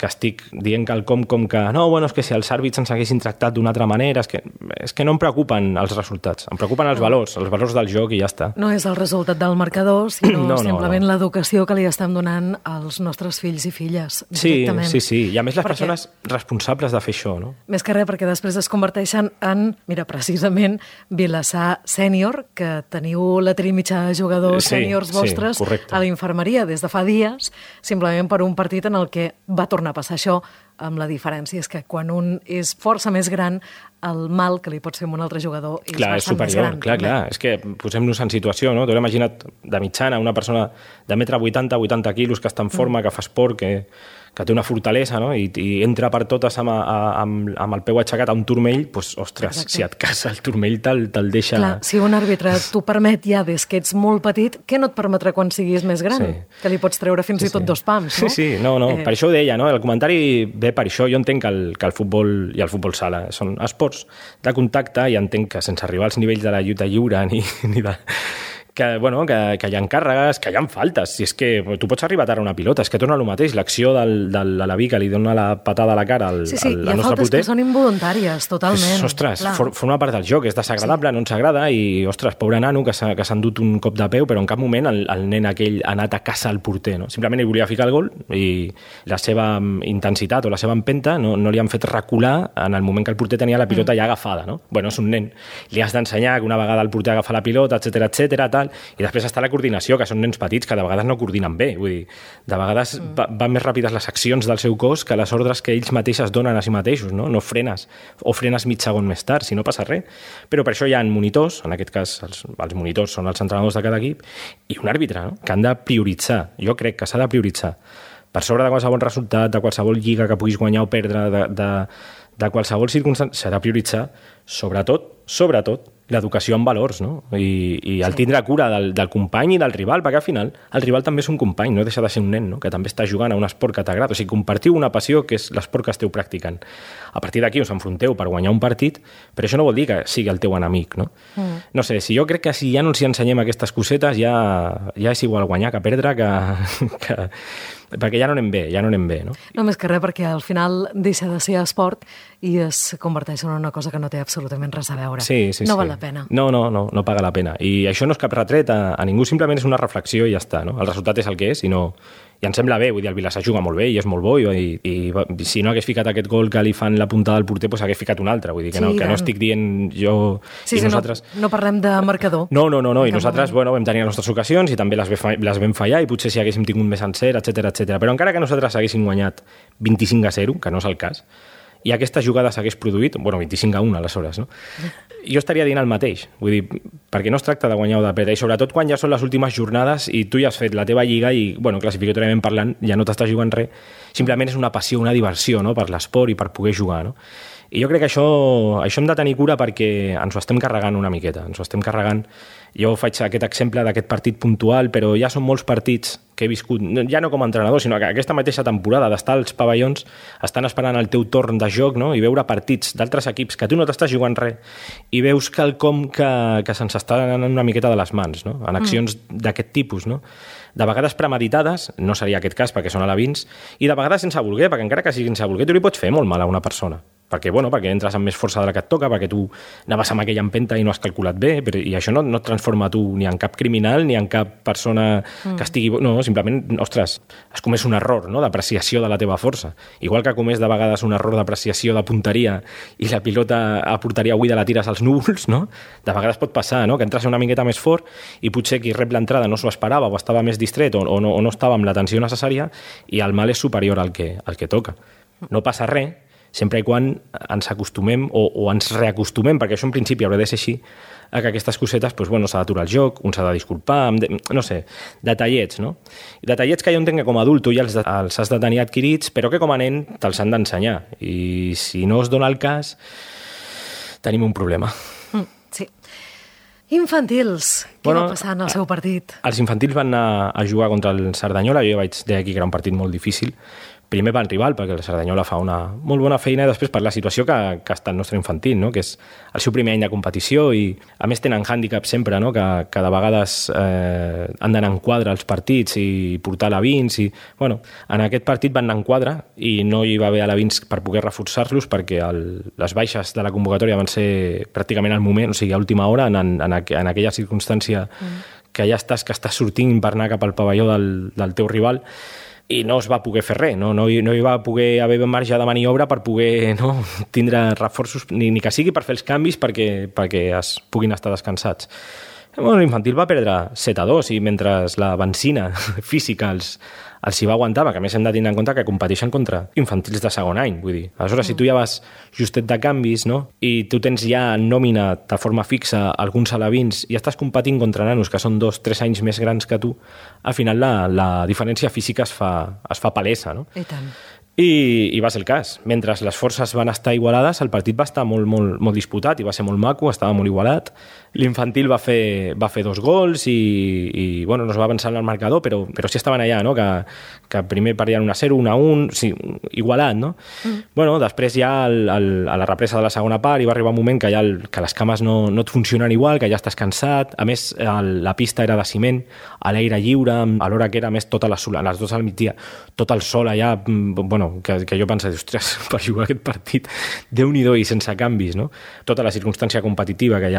estic dient quelcom com que no, bueno, és que si els àrbits ens haguessin tractat d'una altra manera, és que no em preocupen els resultats, em preocupen els valors del joc i ja està. No és el resultat del marcador, sinó simplement l'educació que li estem donant als nostres fills i filles directament. Sí. I a més les persones responsables de fer això, no? Més que res, perquè després es converteixen en, mira, precisament, Vilassar sènior, que teniu la trimitja de jugadors sèniors vostres a l'infermeria des de fa dies, simplement per un partit en el que va tornar a passar això, amb la diferència és que quan un és força més gran, el mal que li pots fer a un altre jugador és bastant més gran. Clar. És que posem-nos en situació, no? Tu l'he imaginat de mitjana, una persona de 1,80 m, 80 quilos, que està en forma, que fa esport, que té una fortalesa, no? I entra per totes amb el peu aixecat a un turmell, doncs, ostres, si et casa el turmell te'l deixa... Clar, si un àrbitre t'ho permet ja des que ets molt petit, què no et permetrà quan siguis més gran? Sí. Que li pots treure fins i tot 2 pams, no? Sí, no, per això ho deia, no? El comentari ve per això. Jo entenc que el futbol i el futbol sala són esports de contacte i entenc que sense arribar als nivells de la lluita lliure ni de... que hi ha càrregues, que hi ha faltes. Si és que tu pots arribar tard a una pilota, és que torna el mateix, l'acció de l'Alaví que li dona la patada a la cara al nostre porter. Hi ha faltes que són involuntàries, totalment. Ostres, forma part del joc, és desagradable, no ens agrada, i, ostres, pobre nano que s'ha endut un cop de peu, però en cap moment el nen aquell ha anat a caçar el porter, no? Simplement ell volia ficar el gol i la seva intensitat o la seva empenta no li han fet recular en el moment que el porter tenia la pilota ja agafada, no? Bueno, és un nen. Li has d'ensenyar que una vegada el porter agafa la pilota, etcètera, tal. I després està la coordinació, que són nens petits que de vegades no coordinen bé, vull dir, de vegades van més ràpides les accions del seu cos que les ordres que ells mateixes donen a si mateixos, no? No frenes, o frenes mig segon més tard, si no passa res. Però per això hi ha monitors, en aquest cas els monitors són els entrenadors de cada equip, i un àrbitre, no? Que han de prioritzar, jo crec que s'ha de prioritzar, per sobre de qualsevol resultat, de qualsevol lliga que puguis guanyar o perdre, de qualsevol circumstància, s'ha de prioritzar, sobretot, l'educació en valors, no? I el tindre cura del company i del rival, perquè al final el rival també és un company, no deixa de ser un nen, no? Que també està jugant a un esport que t'agrada. O sigui, compartiu una passió que és l'esport que esteu practicant. A partir d'aquí us enfronteu per guanyar un partit, però això no vol dir que sigui el teu enemic, no? No sé, si jo crec que si ja no els ensenyem aquestes cosetes, ja és igual guanyar que perdre, perquè ja no anem bé, no? No, més que res, perquè al final deixa de ser esport i es converteix en una cosa que no té absolutament res a veure. Sí. No val la pena. No paga la pena. I això no és cap retret a ningú, simplement és una reflexió i ja està, no? El resultat és el que és i em sembla bé, vull dir, el Vilassar juga molt bé i és molt bo i si no hagués ficat aquest gol que li fan la puntada del porter, doncs hagués ficat un altre, vull dir, que no estic dient jo i nosaltres... No parlem de marcador. No, i nosaltres, vam tenir les nostres ocasions i també les vam fallar i potser si haguéssim tingut més encert, etcètera. Però encara que nosaltres haguéssim guanyat 25-0, que no és el cas, i aquesta jugada s'hagués produït, 25-1 aleshores, no? Jo estaria dient el mateix, vull dir, perquè no es tracta de guanyar o de perdre, i sobretot quan ja són les últimes jornades i tu ja has fet la teva lliga i, classificatòriament parlant, ja no t'estàs jugant res, simplement és una passió, una diversió, no?, per l'esport i per poder jugar, no? I jo crec que això hem de tenir cura perquè ens ho estem carregant una miqueta, Jo faig aquest exemple d'aquest partit puntual, però ja són molts partits que he viscut, ja no com a entrenador, sinó que aquesta mateixa temporada d'estar als pavellons, estan esperant el teu torn de joc, no?, i veure partits d'altres equips que tu no t'estàs jugant res i veus quelcom que se'ns està anant una miqueta de les mans, no?, en accions d'aquest tipus, no?, de vegades premeditades, no seria aquest cas perquè són alevins, i de vegades sense voler, perquè encara que sigui sense voler, tu li pots fer molt mal a una persona. Perquè entres amb més força de la que et toca, perquè tu anaves amb aquella empenta i no has calculat bé, i això no et transforma tu ni en cap criminal ni en cap persona que estigui... No, simplement, ostres, has comès un error, no?, d'apreciació de la teva força. Igual que comès de vegades un error d'apreciació de punteria i la pilota a porteria buida la tires als núvols, no? De vegades pot passar, no?, que entres una miqueta més fort i potser qui rep l'entrada no s'ho esperava o estava més distret o no estava amb l'atenció necessària i el mal és superior al que toca. No passa res, sempre i quan ens acostumem o ens reacostumem, perquè això en principi haurà de ser així, a que aquestes cosetes, s'ha d'aturar el joc, un s'ha de disculpar, no sé, detallets, no? Detallets que jo entenc que com a adult tu ja els has de tenir adquirits, però que com a nen te'ls han d'ensenyar. I si no es dona el cas, tenim un problema. Sí. Infantils, què va passar en el seu partit? Els infantils van anar a jugar contra el Cerdanyola, jo vaig dir aquí que era un partit molt difícil, primer pel rival, perquè el Cerdanyola fa una molt bona feina, i després per la situació que està el nostre infantil, no? Que és el seu primer any de competició, i a més tenen hàndicap sempre, no? Que de vegades han d'anar en quadre als partits i portar alevins, i bueno, en aquest partit van anar en quadre i no hi va haver alevins per poder reforçar-los, perquè les baixes de la convocatòria van ser pràcticament al moment, o sigui, a última hora, en aquella circumstància que ja estàs sortint per anar cap al pavelló del teu rival, i no es va poder fer res, no hi va poder haver marge de maniobra per poder tindre reforços, ni que sigui per fer els canvis perquè es puguin estar descansats. Bueno, l'infantil va perdre 7-2 i mentre la benzina física els hi va aguantar, perquè a més hem de tenir en compte que competeixen contra infantils de segon any, vull dir. Aleshores, si tu ja vas justet de canvis, no? I tu tens ja en nòmina de forma fixa alguns alevins i estàs competint contra nanos que són 2-3 anys més grans que tu, al final la diferència física es fa palesa, no? I tant. I va ser el cas. Mentre les forces van estar igualades, el partit va estar molt disputat i va ser molt maco, estava molt igualat. L'infantil va fer 2 gols i bueno, no es va avançar en el marcador, però sí estaven allà, no? Que primer perdien 1-0, 1-1, sí, igualat, no? Bueno, després ja a la represa de la segona part hi va arribar un moment que les cames no et funcionen igual, que ja estàs cansat. A més, la pista era de ciment, a l'aire lliure, a l'hora que era, a més, a les 2 al migdia, tot el sol allà, bueno, que jo pensava, ostres, per jugar aquest partit, Déu-n'hi-do, i sense canvis, no? Tota la circumstància competitiva que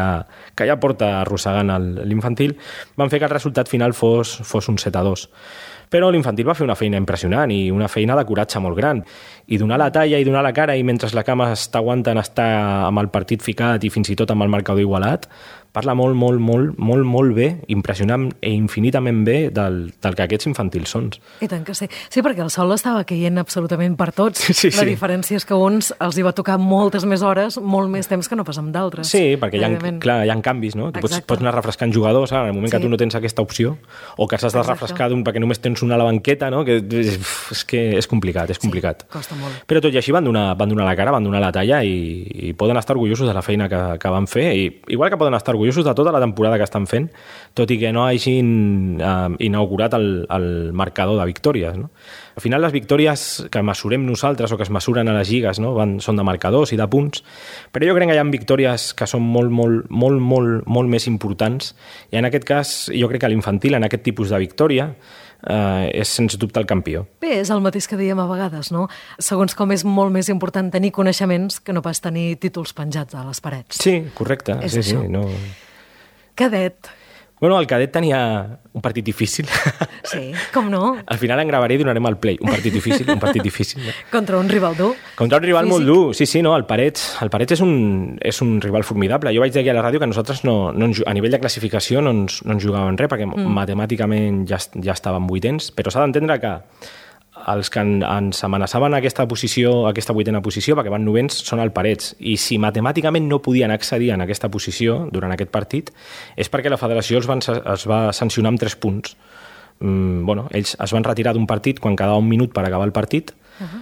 ja porta arrossegant l'infantil, van fer que el resultat final fos un 7-2. Però l'infantil va fer una feina impressionant i una feina de coratge molt gran. I donar la talla i donar la cara, i mentre la cama t'aguanten estar amb el partit ficat i fins i tot amb el marcador igualat, parla molt bé, impressionant i infinitament bé del que aquests infantils són. I tant que sí. Sí, perquè el sol estava caient absolutament per tots. Sí. La diferència és que uns els hi va tocar moltes més hores, molt més temps que no pas amb d'altres. Sí, perquè hi ha canvis, no? Tu pots anar refrescant jugadors, en el moment que tu no tens aquesta opció, o que s'has de refrescar perquè només tens una a la banqueta, no? Que és complicat, és complicat. Sí, costa molt. Però tot i així van donar la cara, van donar la talla i poden estar orgullosos de la feina que van fer, i igual que poden estar orgullosos de tota la temporada que estan fent, tot i que no hagin inaugurat el marcador de victòries, no? Al final, les victòries que mesurem nosaltres o que es mesuren a les lligues, no? Són de marcadors i de punts, però jo crec que hi ha victòries que són molt més importants, i en aquest cas jo crec que l'infantil, en aquest tipus de victòria, és sens dubte el campió. Bé, és el mateix que diem a vegades, no? Segons com és molt més important tenir coneixements que no pas tenir títols penjats a les parets. Sí, correcte. És sí, això. Sí, no... Cadet. Bueno, el cadet tenia un partit difícil. Sí, com no? Al final en gravaré i donarem el play. Un partit difícil. No? Contra un rival dur. Contra un rival molt dur, sí, no, el Parets és un rival formidable. Jo vaig dir aquí a la ràdio que nosaltres a nivell de classificació no ens jugàvem res, perquè matemàticament ja estàvem vuitens, però s'ha d'entendre que els que ens amenaçaven aquesta vuitena posició, perquè van novens, són el Parets. I si matemàticament no podien accedir en aquesta posició durant aquest partit, és perquè la federació es va sancionar amb 3 punts. Ells es van retirar d'un partit quan quedava un minut per acabar el partit,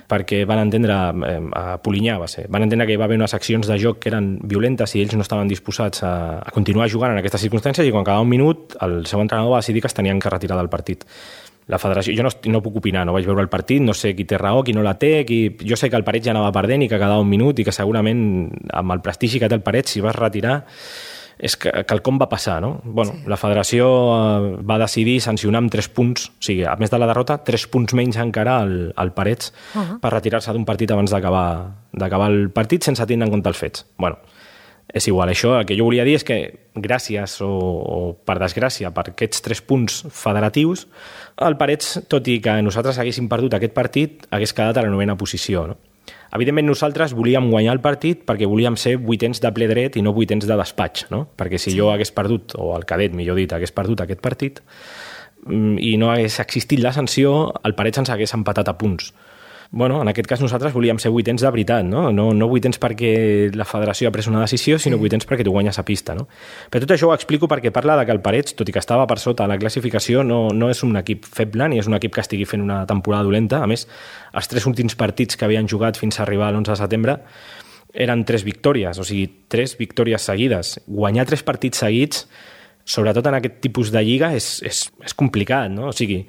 perquè van entendre, a Polinyà va ser, van entendre que hi va haver unes accions de joc que eren violentes i ells no estaven disposats a continuar jugant en aquestes circumstàncies, i quan quedava un minut el seu entrenador va decidir que es tenien que retirar del partit. La federació, jo no puc opinar, no vaig veure el partit, no sé qui té raó, qui no la té, jo sé que el Parets ja anava perdent i que quedava un minut, i que segurament amb el prestigi que té el Parets, si vas retirar, és que quelcom va passar, no? Bueno, sí. La federació va decidir sancionar amb 3 punts, o sigui, a més de la derrota, 3 punts menys encara al Parets per retirar-se d'un partit abans d'acabar el partit sense tenir en compte els fets. Bueno, és igual, això el que jo volia dir és que gràcies o per desgràcia per aquests 3 punts federatius, el Parets, tot i que nosaltres haguéssim perdut aquest partit, hagués quedat a la 9ª posició, no? Evidentment nosaltres volíem guanyar el partit perquè volíem ser vuitens de ple dret i no vuitens de despatx, no? Perquè si jo hagués perdut, o el cadet, millor dit, hagués perdut aquest partit i no hagués existit la sanció, el Parets ens hagués empatat a punts. Bueno, en aquest cas nosaltres volíem ser vuitens de veritat, no? No vuitens perquè la federació ha pres una decisió, sinó vuitens perquè tu guanyes a pista, no? Però tot això ho explico perquè parla de que el Parets, tot i que estava per sota a la classificació, no és un equip feble ni és un equip que estigui fent una temporada dolenta. A més, els 3 últims partits que havien jugat fins a arribar a l'11 de setembre eren 3 victòries, o sigui, 3 victòries seguides. Guanyar 3 partits seguits, sobretot en aquest tipus de lliga, és complicat, no? O sigui,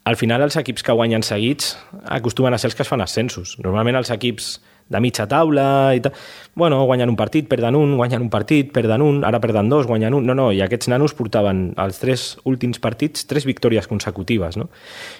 al final els equips que guanyen seguits acostumen a ser els que es fan ascensos. Normalment els equips de mitja taula i tal, bueno, guanyen un partit, perden un, guanyen un partit, perden un, ara perden dos, guanyen un. No, i aquests nanos portaven els 3 últims partits 3 victòries consecutives, no?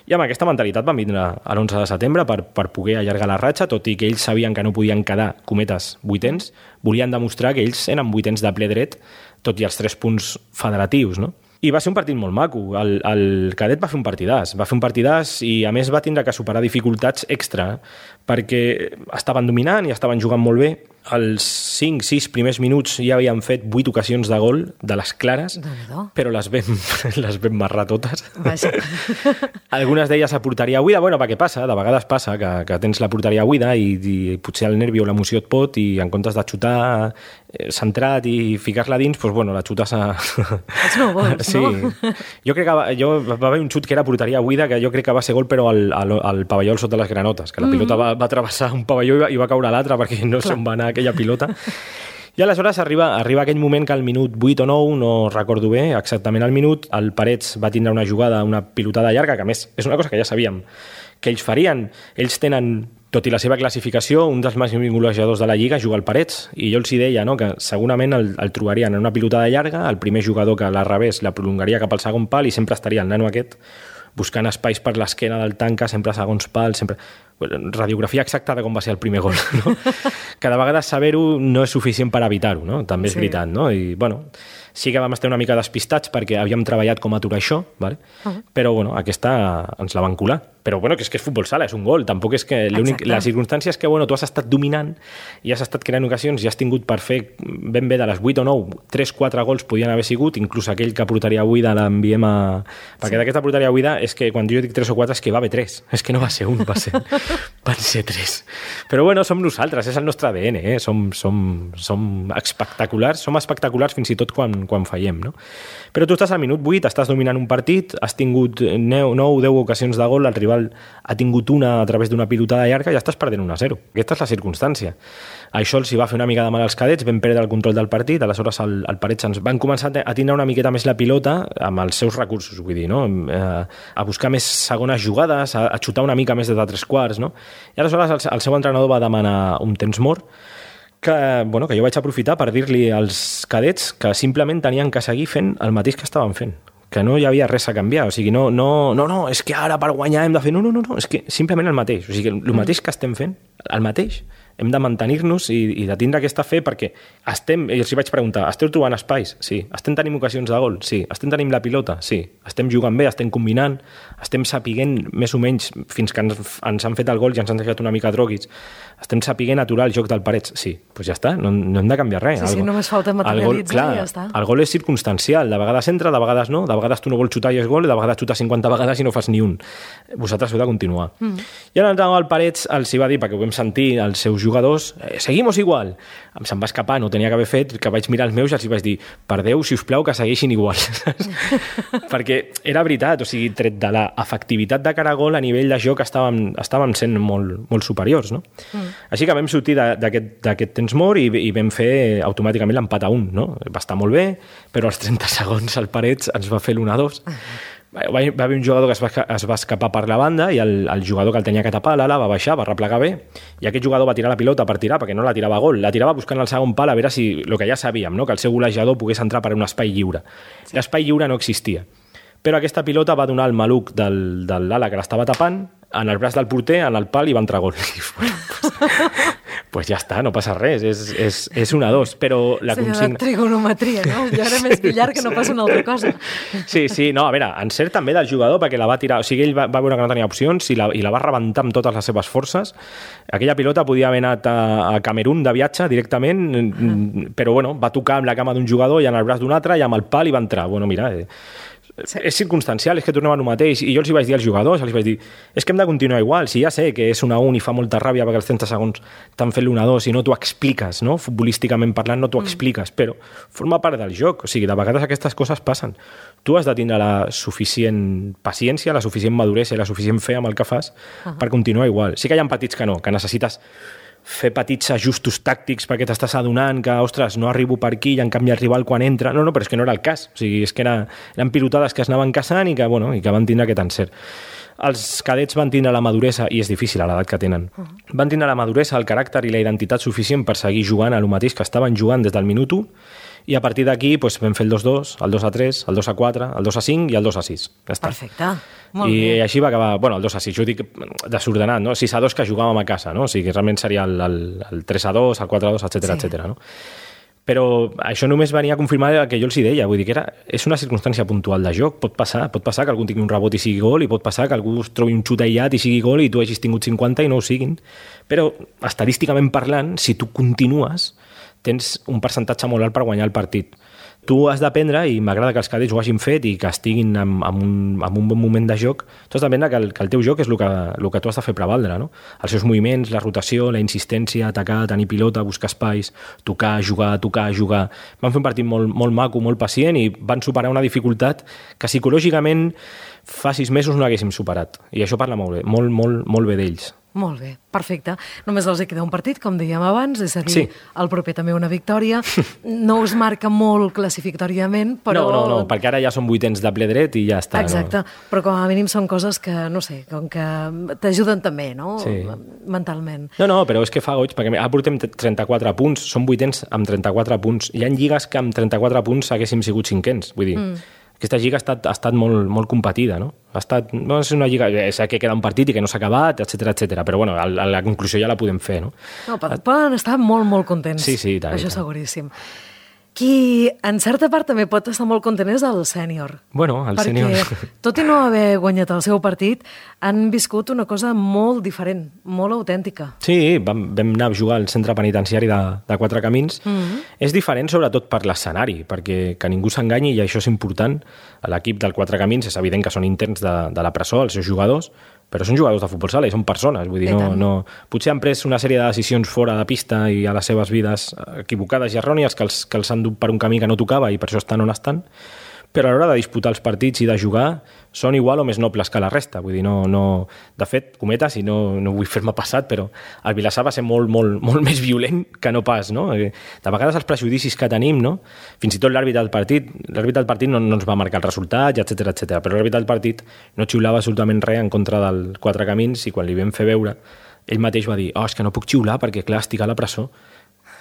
I amb aquesta mentalitat van vindre a l'11 de setembre per poder allargar la ratxa, tot i que ells sabien que no podien quedar, cometes, 8ens, volien demostrar que ells eren 8ens de ple dret, tot i els 3 punts federatius, no? I va ser un partit molt maco. El cadet va fer un partidàs i a més va tindre que superar dificultats extra perquè estaven dominant i estaven jugant molt bé. Els 5-6 primers minuts ja havien fet 8 ocasions de gol de les clares, però les vam marrar totes. Algunes d'elles a porteria buida, bueno, perquè passa, de vegades passa que tens la porteria buida i potser el nervi o l'emoció et pot i en comptes de xutar centrat i ficar-la dins, doncs, bueno, la xutes a... Els no vols, sí. No? Jo crec que va haver un xut que era porteria buida, que jo crec que va ser gol, però al pavelló al sota les granotes, que la pilota va travessar un pavelló i va caure a l'altre perquè no se'n va anar aquella pilota. I aleshores arriba aquell moment que al minut 8 o 9, no recordo bé exactament el minut, el Parets va tindre una jugada, una pilotada llarga, que a més és una cosa que ja sabíem que ells farien. Ells tenen, tot i la seva classificació, un dels màxims golejadors de la Lliga juga al Parets, i jo els hi deia, no?, que segurament el trobarien en una pilotada llarga, el primer jugador que la rebés la prolongaria cap al segon pal i sempre estaria el nano aquest buscant espais per l'esquena del tanca, sempre a segons pals, sempre... Radiografia exacta de com va ser el primer gol, no? Que de vegades saber-ho no és suficient per evitar-ho, no? També és veritat, no? I, bueno, sí que vam estar una mica despistats perquè havíem treballat com aturar això, ¿vale? Però, bueno, aquesta ens la van colar. Però, bueno, que és futbol sala, és un gol. Tampoc és que... La circumstància és que, bueno, tu has estat dominant i has estat creant ocasions i has tingut per fer ben bé de les 8 o 9, 3-4 gols podien haver sigut, inclús aquell que portaria buida l'enviem a... Perquè d'aquesta portaria buida és que quan jo dic 3 o 4 és que va haver 3. És que no va ser un, van ser 3. Però, bueno, som nosaltres, és el nostre ADN, eh? Som espectaculars, fins i tot quan fallem, no? Però tu estàs al minut 8, estàs dominant un partit, has tingut 9 o 10 ocasions de gol, el rival ha tingut una a través d'una pilotada llarga i ja estàs perdent 1-0. Aquesta és la circumstància. Això els hi va fer una mica de mal als cadets, vam perdre el control del partit, aleshores el Parets ens van començar a tindre una miqueta més la pilota amb els seus recursos, vull dir, no? A buscar més segones jugades, a xutar una mica més de 3 quarts, no? I aleshores el seu entrenador va demanar un temps mort que jo vaig aprofitar per dir-li als cadets que simplement tenien que seguir fent el mateix que estaven fent, que no hi havia res a canviar, o sigui, no, és que ara per guanyar hem de fer... No, és que simplement el mateix, o sigui, el mateix que estem fent, el mateix, hem de mantenir-nos i de tindre aquesta fe perquè i els hi vaig preguntar, esteu trobant espais? Sí. Estem tenint ocasions de gol? Sí. Estem tenint la pilota? Sí. Estem jugant bé, estem combinant, estem sapiguent més o menys fins que ens han fet el gol i ens han deixat una mica droguits, estem sapiguent aturar el joc del Parets? Sí. Doncs ja està, no hem de canviar res. Sí, només falta materialitzar i ja està. El gol és circumstancial, de vegades entra, de vegades no, de vegades tu no vols xutar i és gol, i de vegades xutar 50 vegades i no fas ni un. Vosaltres heu de continuar. I l'entrenador del Parets els hi va dir, perquè ho vam sentir els seus jugadors, seguimos igual. Se'm va escapar, no tenia que haver fet, que vaig mirar els meus i els hi vaig dir, per Déu, si us plau, que segueixin igual. Perquè era veritat, o sigui, tret de l'efectivitat de cara a gol, a nivell de joc estàvem sent molt superiors, no? Així que vam sortir d'aquest temps mort i vam fer automàticament l'empat a 1, no? Va estar molt bé, però als 30 segons el Parets ens va fer l'1-2. Va haver un jugador que es va escapar per la banda i el jugador que el tenia que tapar, l'ala, va baixar, va replegar bé, i aquest jugador va tirar la pilota per tirar, perquè no la tirava a gol, la tirava buscant el segon pal a veure si, el que ja sabíem, no?, que el seu golejador pogués entrar per un espai lliure. L'espai lliure no existia. Però aquesta pilota va donar el maluc de l'ala que l'estava tapant en el braç del porter, en el pal, i va entrar gol. Pues ja està, no passa res, és 1-2, però la consigna... Senyora trigonometria, no? Jo era més billar que no passa una altra cosa. Sí, no, a veure, encert també del jugador, perquè la va tirar, o sigui, ell va veure que no tenia opcions i la va rebentar amb totes les seves forces. Aquella pilota podia haver anat a Camerún de viatge directament, però bueno, va tocar amb la cama d'un jugador i en el braç d'un altre i amb el pal i va entrar. Bueno, mira... Sí. És circumstancial, és que tornem a el mateix, i jo els hi vaig dir als jugadors, els vaig dir, és que hem de continuar igual, si ja sé que és 1-1 i fa molta ràbia perquè els 30 segons t'han fet l'1-2 i no t'ho expliques, no? Futbolísticament parlant no t'ho expliques, però forma part del joc, o sigui, de vegades aquestes coses passen. Tu has de tindre la suficient paciència, la suficient maduresa i la suficient fe amb el que fas per continuar igual. Sí que hi ha petits que no, que necessites fer petits ajustos tàctics perquè t'estàs adonant que, ostres, no arribo per aquí i en canvi el rival quan entra... No, però és que no era el cas. O sigui, és que eren pilotades que es anaven caçant i que van tindre aquest encert. els cadets van tindre la maduresa, i és difícil a l'edat que tenen, van tindre la maduresa, el caràcter i la identitat suficient per seguir jugant a lo mateix que estaven jugant des del minut 1, i a partir d'aquí doncs, vam fer el 2-2, el 2-3, el 2-4, el 2-5 i el 2-6. Ja està. Perfecte, molt bé. I així va acabar, bueno, el 2-6, jo dic desordenat, no? 6-2 que jugàvem a casa, no? O sigui, realment seria el 3-2, el 4-2, etc. No? Però això només venia a confirmar el que jo els deia, vull dir que és una circumstància puntual de joc, pot passar que algú tingui un rebot i sigui gol, i pot passar que algú es trobi un xut aïllat i sigui gol i tu hagis tingut 50 i no ho siguin. Però, estadísticament parlant, si tu continues, tens un percentatge molt alt per guanyar el partit. Tu has d'aprendre, i m'agrada que els cadets ho hagin fet i que estiguin en un bon moment de joc, tu has d'aprendre que el teu joc és el que tu has de fer prevaldre, no? Els seus moviments, la rotació, la insistència, atacar, tenir pilota, buscar espais, tocar, jugar. Van fer un partit molt, molt maco, molt pacient, i van superar una dificultat que psicològicament fa 6 mesos no haguéssim superat. I això parla molt bé d'ells. Molt bé, perfecte. Només els queda un partit, com dèiem abans, és a dir, el proper també una victòria. No us marca molt classificatòriament, però... No, perquè ara ja són 8ens de ple dret i ja està. Exacte, però com a mínim són coses que, no sé, com que t'ajuden també, no? Sí. Mentalment. No, però és que fa goig, perquè ara portem 34 punts, són 8ens amb 34 punts. Hi ha lligues que amb 34 punts haguéssim sigut 5ens, vull dir... Aquesta lliga ha estat molt competida, no? És una lliga que queda un partit i que no s'ha acabat, etc. Però bueno, la conclusió ja la podem fer, no? No, poden estar molt contents. Sí, tant. Això seguríssim. Qui, en certa part, també pot estar molt content és el sènior. Bueno, el sènior... Perquè, tot i no haver guanyat el seu partit, han viscut una cosa molt diferent, molt autèntica. Sí, vam anar a jugar al centre penitenciari de Quatre Camins. És diferent, sobretot, per l'escenari, perquè que ningú s'enganyi, i això és important. L'equip del Quatre Camins és evident que són interns de la presó, els seus jugadors, però són jugadors de futbol sala i són persones, vull dir, potser han pres una sèrie de decisions fora de pista i a les seves vides equivocades i errònies que els han dut per un camí que no tocava i per això estan on estan, però a l'hora de disputar els partits i de jugar són igual o més nobles que la resta. Vull dir, de fet, cometes, i no vull fer-me passat, però el Vilassar va ser molt més violent que no pas, no? De vegades els prejudicis que tenim, no? Fins i tot l'àrbitre del partit no ens va marcar el resultat, etc. Però l'àrbitre del partit no xiulava absolutament res en contra del Quatre Camins, i quan li vam fer veure, ell mateix va dir, és que no puc xiular perquè, clar, estic a la presó.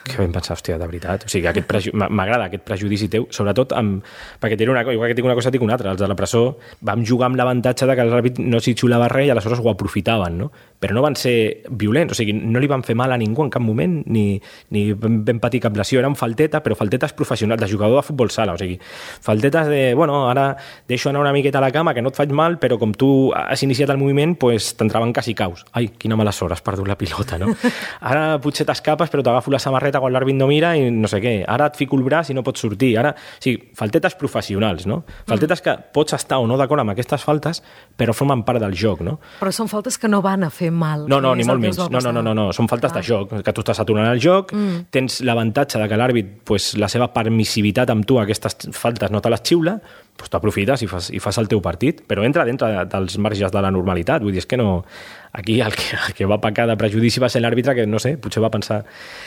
Que vam pensar, hòstia, de veritat. O sigui, m'agrada aquest prejudici teu, sobretot perquè igual que tinc una cosa, tinc una altra. Els de la presó vam jugar amb l'avantatge de que l'àrbit no s'hi xulava res i aleshores ho aprofitaven, no? Però no van ser violents, o sigui, no li van fer mal a ningú en cap moment, ni vam patir cap lesió. Eren falteta, però faltetes professionals, de jugador de futbol sala, o sigui, faltetes de, ara deixo anar una miqueta a la cama, que no et faig mal, però com tu has iniciat el moviment, pues t'entraven quasi caus. Ai, quina mala sort, has perdut la pilota, no? Ara potser t'escapes, però t'agafo la samarreta quan l'àrbit no mira i no sé què. Ara et fico el braç i no pots sortir. O sigui, faltetes professionals, no? Faltetes que pots estar o no d'acord amb aquestes faltes, però formen part del joc, no? Però són faltes que no van a fer mal. No, ni molt menys. No. Són faltes de joc, que tu estàs aturant el joc, tens l'avantatge de que l'àrbit, la seva permissivitat amb tu, aquestes faltes no te les xiula, t'aprofites i fas el teu partit, però entra dintre dels marges de la normalitat. Vull dir, és que no... Aquí el que va pecar de prejudici va ser l'àrbitre que, no sé, potser va pensar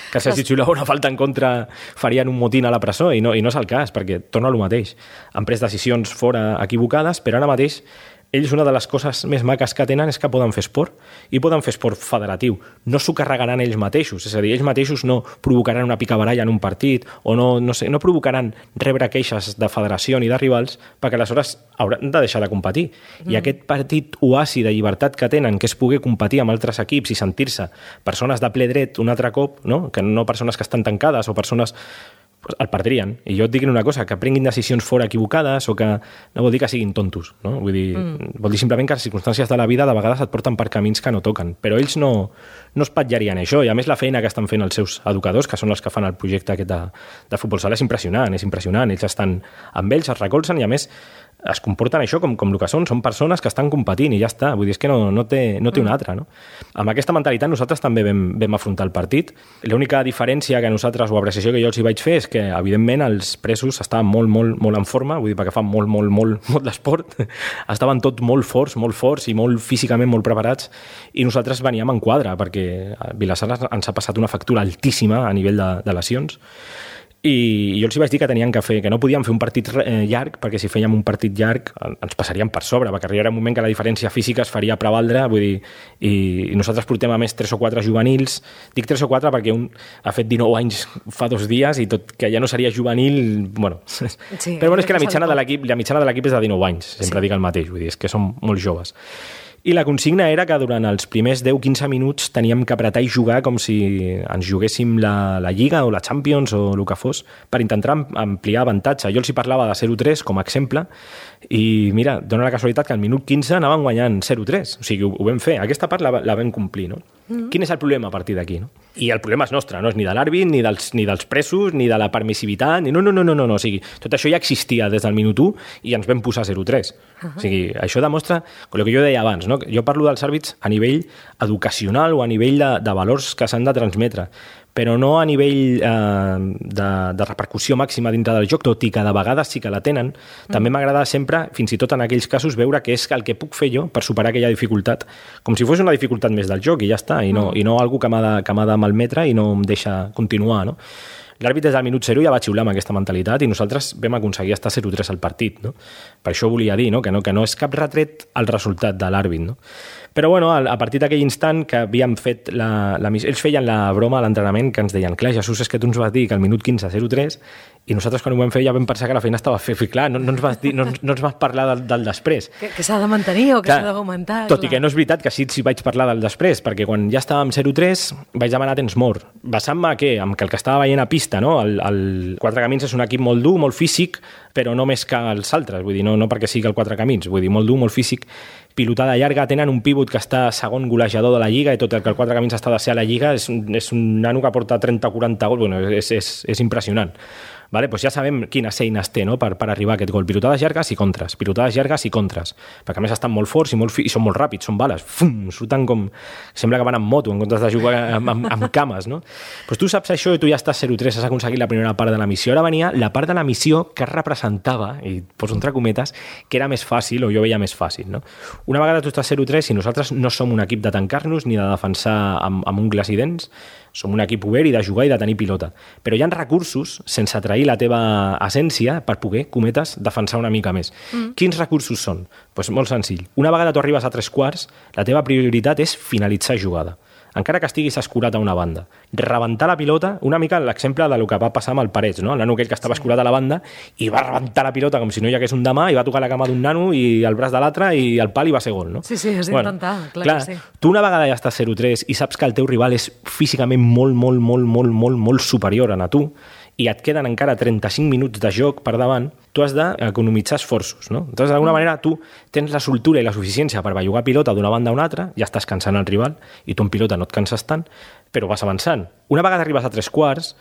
que si xiulava una falta en contra farien un motín a la presó, i no és el cas, perquè torna al mateix. Han pres decisions fora equivocades, però ara mateix ells una de les coses més maques que tenen és que poden fer esport, i poden fer esport federatiu. No s'ho carregaran ells mateixos, és a dir, ells mateixos no provocaran una picabaralla en un partit, o no provocaran rebre queixes de federació ni de rivals, perquè aleshores hauran de deixar de competir. I aquest partit oasi de llibertat que tenen, que és poder competir amb altres equips i sentir-se persones de ple dret un altre cop, no? Que no persones que estan tancades o persones... el perdrien. I jo et dic una cosa, que prenguin decisions fora equivocades o que no vol dir que siguin tontos, no? Vull dir, vol dir simplement que les circumstàncies de la vida de vegades et porten per camins que no toquen, però ells no espatllarien això, i a més la feina que estan fent els seus educadors, que són els que fan el projecte aquest de futbol sala, és impressionant, ells estan amb ells, es recolzen, i a més es comporten això com el que són persones que estan competint i ja està, vull dir, és que no té una altra, no? Amb aquesta mentalitat nosaltres també vam afrontar el partit. L'única diferència que nosaltres, o apreciació que jo els hi vaig fer, és que evidentment els presos estaven molt en forma, vull dir, perquè fan molt d'esport, estaven tots molt forts i molt físicament molt preparats, i nosaltres veníem en quadre, perquè Vilassar ens ha passat una factura altíssima a nivell de lesions, I jo els vaig dir que tenien que fer, que no podíem fer un partit llarg, perquè si fèiem un partit llarg ens passaríem per sobre, perquè arribarà un moment que la diferència física es faria prevaldre, vull dir, i nosaltres portem a més 3 o 4 juvenils, dic 3 o 4 perquè un ha fet 19 anys fa 2 dies i tot que ja no seria juvenil, bueno. Sí, però bueno, és que la mitjana de l'equip és de 19 anys, sempre dic el mateix, vull dir, és que som molt joves. I la consigna era que durant els primers 10-15 minuts teníem que apretar i jugar com si ens juguéssim la Lliga o la Champions o el que fos, per intentar ampliar avantatge. Jo els hi parlava de 0-3 com a exemple i mira, dona la casualitat que al minut 15 anaven guanyant 0-3. O sigui, ho vam fer. Aquesta part la vam complir, no? Quin és el problema a partir d'aquí, no? I el problema és nostre, no és ni de l'àrbit, ni dels presos, ni de la permissivitat, ni no. O sigui, tot això ja existia des del minut 1 i ens vam posar 0-3. O sigui, això demostra el que jo deia abans, no? Jo parlo dels àrbits a nivell educacional o a nivell de valors que s'han de transmetre, però no a nivell de repercussió màxima dintre del joc, tot i que de vegades sí que la tenen. També m'agrada sempre, fins i tot en aquells casos, veure què és el que puc fer jo per superar aquella dificultat, com si fos una dificultat més del joc i ja està, i no algú que m'ha de malmetre i no em deixa continuar, no? L'àrbit des del minut 0 ja va xiular amb aquesta mentalitat i nosaltres vam aconseguir estar 0-3 al partit, no? Per això volia dir, no? Que no és cap retret al resultat de l'àrbit, no? Però bueno, a partir d'aquell instant que havíem fet la missió, ells feien la broma a l'entrenament que ens deien, clar, Jesús, és que tu ens vas dir que al minut 15 0-3 i nosaltres quan ho vam fer ja vam pensar que la feina estava feta. Clar, no ens vas parlar del després. Que s'ha de mantenir o que s'ha d'augmentar. Tot i que no és veritat que sí vaig parlar del després, perquè quan ja estàvem 0-3 vaig demanar temps mort. Basant-me en que el que estava veient a pista, no? El Quatre Camins és un equip molt dur, molt físic, però no més que els altres, vull dir, no perquè sigui el Quatre Camins, vull dir, molt dur, molt físic, pilotada llarga, tenen un pivot que està segon golejador de la Lliga i tot el que el Quatre Camins està de ser a la Lliga és un nano que porta 30 o 40 gols, bueno, és impressionant. Vale? Pues ja sabem quines eines té, no? per arribar a aquest gol. Pilotades llargues i contres, perquè a més estan molt forts i són molt ràpids, són bales, surten com... Sembla que van amb moto en comptes de jugar amb cames, no? Pues tu saps això i tu ja estàs 0-3, has aconseguit la primera part de la missió. Ara venia la part de la missió que representava, i poso entre cometes, que era més fàcil, o jo veia més fàcil, no? Una vegada tu estàs 0-3 i nosaltres no som un equip de tancar-nos ni de defensar amb ungles i dents, som un equip obert i de jugar i de tenir pilota. Però hi ha recursos, sense trair la teva essència, per poder, cometes, defensar una mica més. Quins recursos són? Pues molt senzill. Una vegada tu arribes a 3/4, la teva prioritat és finalitzar jugada. Encara que estiguis escurat a una banda. Rebentar la pilota, una mica l'exemple del que va passar amb el Parets, no? El nano aquell que estava escurat a la banda i va rebentar la pilota com si no hi hagués un demà i va tocar la cama d'un nano i el braç de l'altre i el pal i va ser gol, no? Sí, has d'intentar, clar que sí. Tu una vegada ja estàs 0-3 i saps que el teu rival és físicament molt superior a tu i et queden encara 35 minuts de joc per davant, tu has d'economitzar esforços, no? Entonces, d'alguna manera, tu tens la soltura i la suficiència per bellugar pilota d'una banda a una altra, ja estàs cansant el rival, i tu en pilota no et canses tant, però vas avançant. Una vegada arribes a 3/4,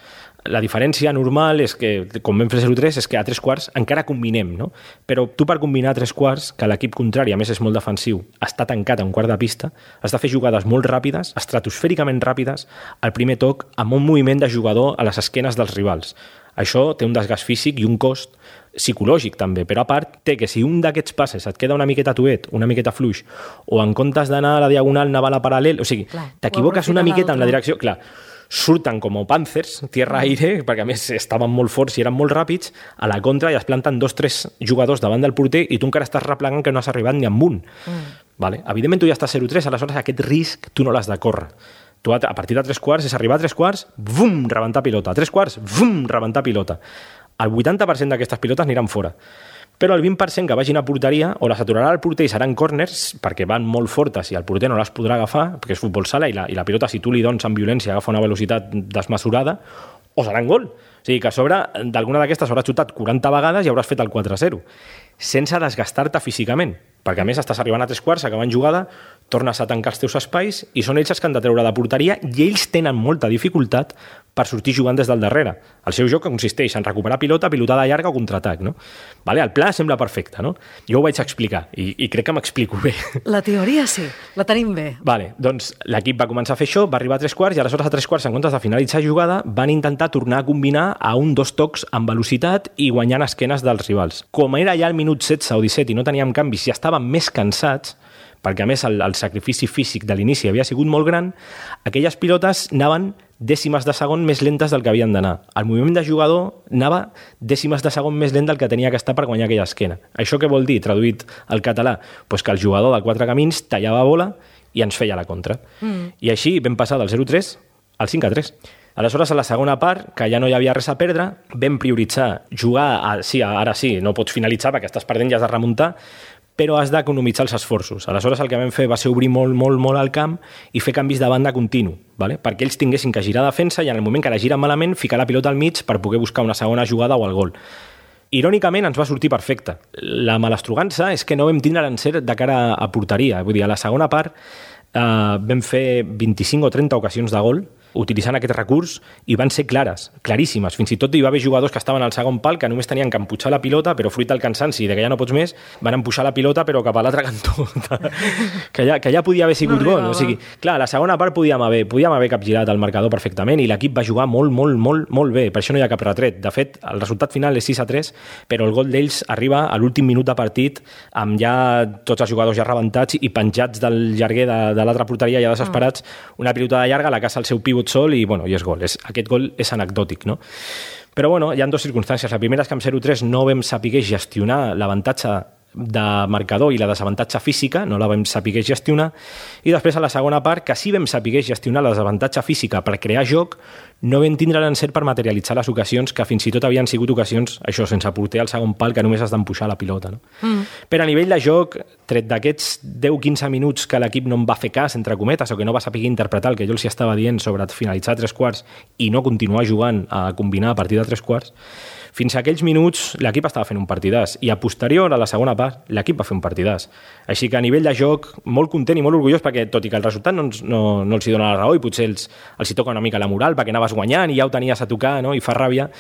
la diferència normal és que, com vam fer 0-3, és que a 3/4 encara combinem, no? Però tu per combinar a 3/4, que l'equip contrari, a més és molt defensiu, està tancat a un quart de pista, has de fer jugades molt ràpides, estratosfèricament ràpides, al primer toc, amb un moviment de jugador a les esquenes dels rivals. Això té un desgast físic i un cost psicològic també, però a part té que si un d'aquests passes et queda una miqueta tuet, una miqueta fluix, o en comptes d'anar a la diagonal anar a la paral·lel, o sigui, t'equivoques una miqueta en la direcció, clar, surten com Panthers, tierra-aire, perquè a més estaven molt forts i eren molt ràpids, a la contra i es planten 2-3 jugadors davant del porter i tu encara estàs replegant que no has arribat ni amb un. Vale? Evidentment tu ja estàs 0-3, aleshores aquest risc tu no l'has de córrer. Tu a partir de 3/4 és arribar a 3/4, bum, rebentar pilota. A 3/4, bum, rebentar pilota. El 80% d'aquestes pilotes aniran fora. Però el 20% que vagin a porteria o les aturarà el porter i seran corners perquè van molt fortes i el porter no les podrà agafar perquè és futbol sala i la pilota, si tu li dones amb violència, agafa una velocitat desmesurada, o seran gol. O sigui que a sobre d'alguna d'aquestes hauràs xutat 40 vegades i hauràs fet el 4-0 sense desgastar-te físicament, perquè a més estàs arribant a 3/4, acabant jugada, tornes a tancar els teus espais i són ells els que han de treure de porteria i ells tenen molta dificultat per sortir jugant des del darrere. El seu joc consisteix en recuperar pilota, pilotada llarga o contraatac, no? Vale? El pla sembla perfecte, no? Jo ho vaig explicar i crec que m'explico bé. La teoria sí, la tenim bé. Vale, doncs l'equip va començar a fer això, va arribar a 3/4 i aleshores a 3/4, en comptes de finalitzar jugada, van intentar tornar a combinar a 1-2 tocs amb velocitat i guanyant esquenes dels rivals. Com era ja el minut 16 o 17 i no teníem canvis i estàvem més cansats, perquè a més el sacrifici físic de l'inici havia sigut molt gran, aquelles pilotes anaven dècimes de segon més lentes del que havien d'anar. El moviment de jugador anava dècimes de segon més lent del que tenia que estar per guanyar aquella esquena. Això què vol dir, traduït al català? Pues que el jugador del Quatre Camins tallava bola i ens feia la contra. I així vam passar del 0-3 al 5-3. Aleshores, a la segona part, que ja no hi havia res a perdre, vam prioritzar jugar, ara sí, no pots finalitzar perquè estàs perdent, ja has de remuntar, però has d'economitzar els esforços. Aleshores, el que vam fer va ser obrir molt el camp i fer canvis de banda continu, ¿vale? Perquè ells tinguessin que girar defensa i en el moment que la giren malament, ficar la pilota al mig per poder buscar una segona jugada o el gol. Irònicament, ens va sortir perfecte. La malastrugança és que no vam tindre l'encert de cara a porteria. Vull dir, a la segona part vam fer 25 o 30 ocasions de gol utilitzant aquest recurs i van ser claríssimes. Fins i tot hi va haver jugadors que estaven al segon pal que només tenien que empujar la pilota, però fruit del cansanci de que ja no pots més, van empujar la pilota però cap a l'altre cantó. que ja podia haver sigut gol. O sigui, clar, la segona part podíem haver capgirat el marcador perfectament i l'equip va jugar molt bé. Per això no hi ha cap retret. De fet, el resultat final és 6-3, però el gol d'ells arriba a l'últim minut de partit amb ja tots els jugadors ja rebentats i penjats del llarguer de l'altra porteria ja desesperats, una pilota de llarga, la caça el seu pivot sol i és gol. Aquest gol és anecdòtic, no? Però hi ha dues circumstàncies. La primera és que amb 0-3 no vam saber gestionar l'avantatge de marcador i la desavantatge física, no la vam saber gestionar, i després a la segona part, que sí vam saber gestionar la desavantatge física per crear joc, no vam tindre l'encert per materialitzar les ocasions que fins i tot havien sigut ocasions, això, sense porter al segon pal, que només has d'empujar la pilota. No? Però a nivell de joc, tret d'aquests 10-15 minuts que l'equip no em va fer cas, entre cometes, o que no va saber interpretar el que jo els estava dient sobre finalitzar a 3 quarts i no continuar jugant a combinar a partir de 3 quarts, fins a aquells minuts l'equip estava fent un partidàs i a posterior, a la segona part, l'equip va fer un partidàs. Així que a nivell de joc, molt content i molt orgullós perquè, tot i que el resultat no els hi dona la raó i potser els hi toca una mica la moral perquè anaves guanyant i ja ho tenies a tocar, no? I fa ràbia,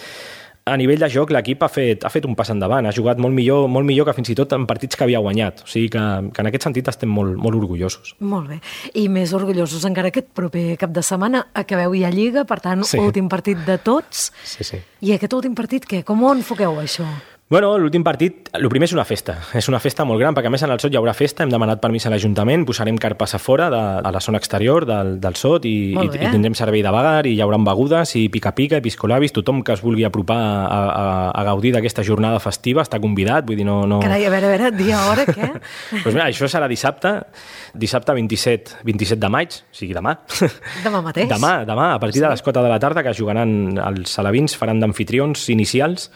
a nivell de joc l'equip ha fet un pas endavant, ha jugat molt millor que fins i tot en partits que havia guanyat. O sigui que en aquest sentit estem molt orgullosos. Molt bé. I més orgullosos encara aquest proper cap de setmana. Acabeu ja Lliga, per tant, últim partit de tots. Sí. I aquest últim partit, què? Com ho enfoqueu, això? Bueno, l'últim partit, el primer és una festa molt gran, perquè a més en el SOT hi haurà festa, hem demanat permís a l'Ajuntament, posarem carpes a fora a la zona exterior del SOT i tindrem servei de vagar i hi haurà begudes i pica-pica, piscolabis, tothom que es vulgui apropar a gaudir d'aquesta jornada festiva està convidat, vull dir, no... Carai, a veure, dia, hora, què? Doncs mira, això serà dissabte 27 de maig, o sigui, demà. Demà mateix? Demà, a partir de les 4 de la tarda, que jugaran els alevins, faran d'amfitrions inicials,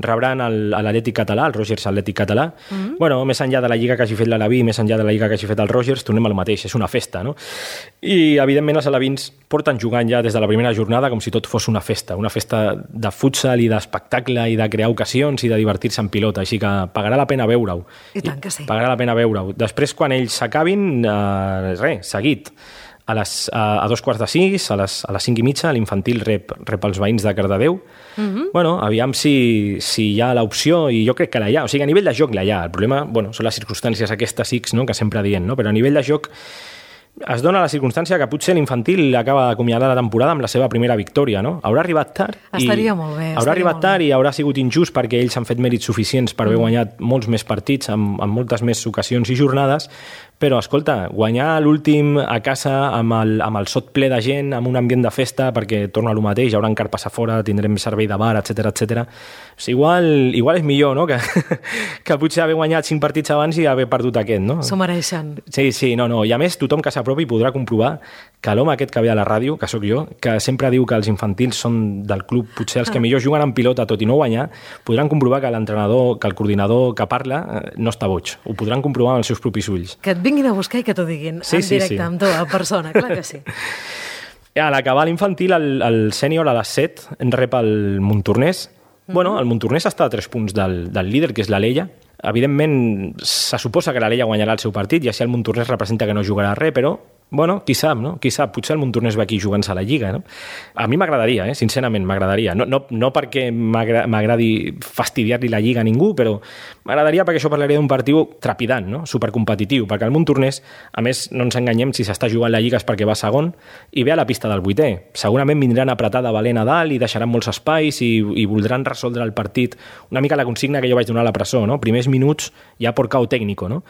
rebran l'Atlètic Català, el Rogers Atlètic Català. Bueno, més enllà de la lliga que hagi fet l'Aleví, més enllà de la lliga que hagi fet el Rogers, tornem al mateix, és una festa, no? I, evidentment, els alevins porten jugant ja des de la primera jornada com si tot fos una festa de futsal i d'espectacle i de crear ocasions i de divertir-se en pilota, així que pagarà la pena veure-ho. I tant que sí. Pagarà la pena veure-ho. Després, quan ells s'acabin, seguit, a 2:45, a les 5:30, l'infantil rep els veïns de Cardedeu. Bueno, aviam si hi ha l'opció, i jo crec que la hi ha. O sigui, a nivell de joc la hi ha. El problema, són les circumstàncies aquestes X, no?, que sempre dient, no? Però a nivell de joc es dona la circumstància que potser l'infantil acaba d'acomiadar la temporada amb la seva primera victòria, no? Haurà arribat tard. Estaria molt bé. Haurà arribat tard i haurà sigut injust perquè ells han fet mèrits suficients per haver guanyat molts més partits amb moltes més ocasions i jornades, però, escolta, guanyar l'últim a casa amb el SOT ple de gent, amb un ambient de festa, perquè torna a lo mateix, hi haurà carpes a fora, tindrem servei de bar, etc. Igual és millor, no?, que potser haver guanyat 5 partits abans i haver perdut aquest, no? S'ho mereixen. Sí, no. I a més, tothom que s'apropi podrà comprovar que l'home aquest que ve a la ràdio, que sóc jo, que sempre diu que els infantils són del club, potser els que millor juguen en pilota tot i no guanyar, podran comprovar que l'entrenador, que el coordinador que parla no està boig. Ho podran comprovar amb els seus propis ulls. Que et vinguin a buscar i que t'ho diguin en directe amb tu, en persona, clar que sí. A l'acabar l'infantil, el sènior a les 7 en rep el Montornès. Bueno, el Montornès està a 3 punts del líder, que és l'Alella. Evidentment, se suposa que l'Alella guanyarà el seu partit i així el Montornès representa que no jugarà res, però qui sap, no? Qui sap, potser el Montornès va aquí jugant-se a la Lliga, no? A mi m'agradaria, sincerament, m'agradaria. No perquè m'agradi fastidiar-li la Lliga a ningú, però m'agradaria perquè això parlaria d'un partit trepidant, no? Supercompetitiu, perquè el Montornès, a més, no ens enganyem, si s'està jugant la Lliga és perquè va segon i ve a la pista del 8è. Segurament vindran apretada valent a dalt i deixaran molts espais i voldran resoldre el partit. Una mica la consigna que jo vaig donar a la presó, no? Primers minuts ja por cao técnico, no?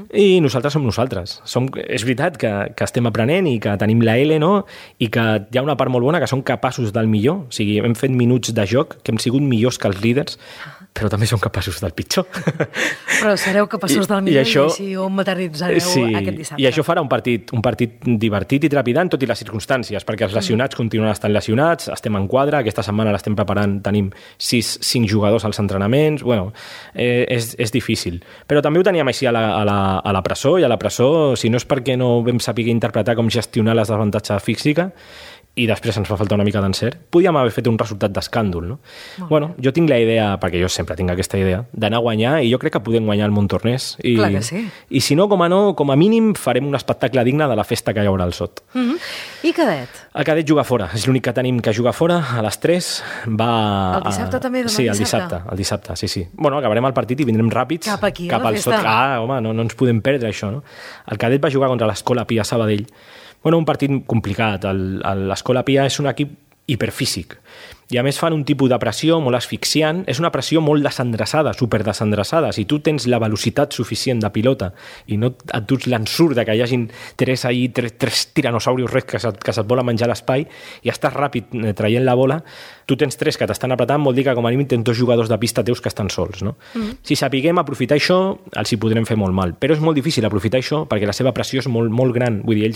I nosaltres som nosaltres. És veritat que estem aprenent i que tenim la L, no? I que hi ha una part molt bona que són capaços del millor. O sigui, hem fet minuts de joc que hem sigut millors que els líders, però també som capaços del pitjor. Però sereu capaços del millor i així ho materialitzareu aquest dissabte. I això farà un partit divertit i trepidant, tot i les circumstàncies, perquè els lesionats continuen estant lesionats, estem en quadre, aquesta setmana l'estem preparant, tenim 5 jugadors als entrenaments, bueno, és difícil. Però també ho teníem així a la presó, i a la presó, si no és perquè no vam saber interpretar com gestionar les desavantatges físiques, i després ens fa faltar una mica d'encert, podíem haver fet un resultat d'escàndol, no? Bueno, jo tinc la idea, perquè jo sempre tinc aquesta idea, d'anar a guanyar, i jo crec que podem guanyar el Montornès. Clar que sí. I si no, com a mínim, farem un espectacle digne de la festa que hi haurà al Sot. I cadet? El cadet juga fora, és l'únic que tenim que juga fora, a les 3, va... El dissabte també, demà sí, el dissabte, sí. Bueno, acabarem el partit i vindrem ràpids cap aquí, cap al Sot. Home, no ens podem perdre això, no? El cadet va jugar contra l'Escola Pia Sabadell. Bueno, un partit complicat. L'Escola Pia és un equip hiperfísic. I a més fan un tipus de pressió molt asfixiant. És una pressió molt desendreçada, superdesendreçada. Si tu tens la velocitat suficient de pilota i no et duts l'ensurt de que hi hagin tres tiranosaurios rex que se't volen menjar l'espai i estàs ràpid traient la bola, tu tens 3 que t'estan apretant, vol dir que com a mínim tens 2 jugadors de pista teus que estan sols, no? Si sapiguem aprofitar això, els hi podrem fer molt mal. Però és molt difícil aprofitar això perquè la seva pressió és molt, molt gran. Vull dir,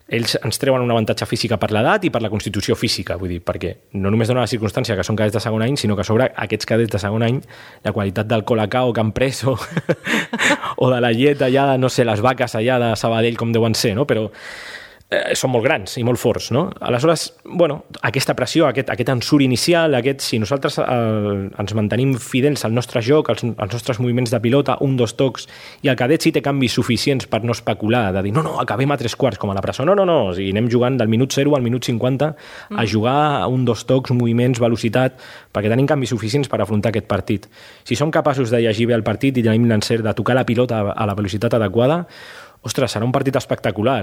ells ens treuen un avantatge física per l'edat i per la constitució física, vull dir, perquè no només dona la circumstància que són cadets de segon any, sinó que a sobre aquests cadets de segon any, la qualitat del colacao que han pres o de la llet allà, no sé, les vaques allà de Sabadell com deuen ser, no? Però són molt grans i molt forts, no? Aleshores, bueno, aquesta pressió, aquest ensurt inicial, si nosaltres ens mantenim fidels al nostre joc, als nostres moviments de pilota, 1, 2 tocs, i el cadet sí té canvis suficients per no especular, de dir, no, acabem a 3/4 com a la presó. No, o sigui, anem jugant del minut 0 al minut 50 a jugar a 1, 2 tocs, moviments, velocitat, perquè tenim canvis suficients per afrontar aquest partit. Si som capaços de llegir bé el partit i tenim l'encert de tocar la pilota a la velocitat adequada, ostres, serà un partit espectacular.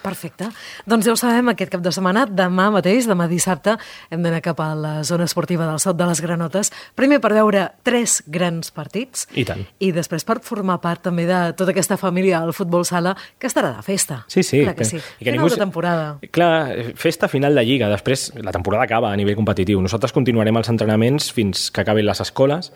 Perfecte. Doncs ja ho sabem, aquest cap de setmana, demà mateix, demà dissabte, hem d'anar cap a la zona esportiva del Sot de les Granotes, primer per veure 3 grans partits, i tant. I després per formar part també de tota aquesta família del futbol sala que estarà de festa. Sí. Clar que sí. Final de temporada. Clar, festa final de Lliga, després la temporada acaba a nivell competitiu. Nosaltres continuarem els entrenaments fins que acabin les escoles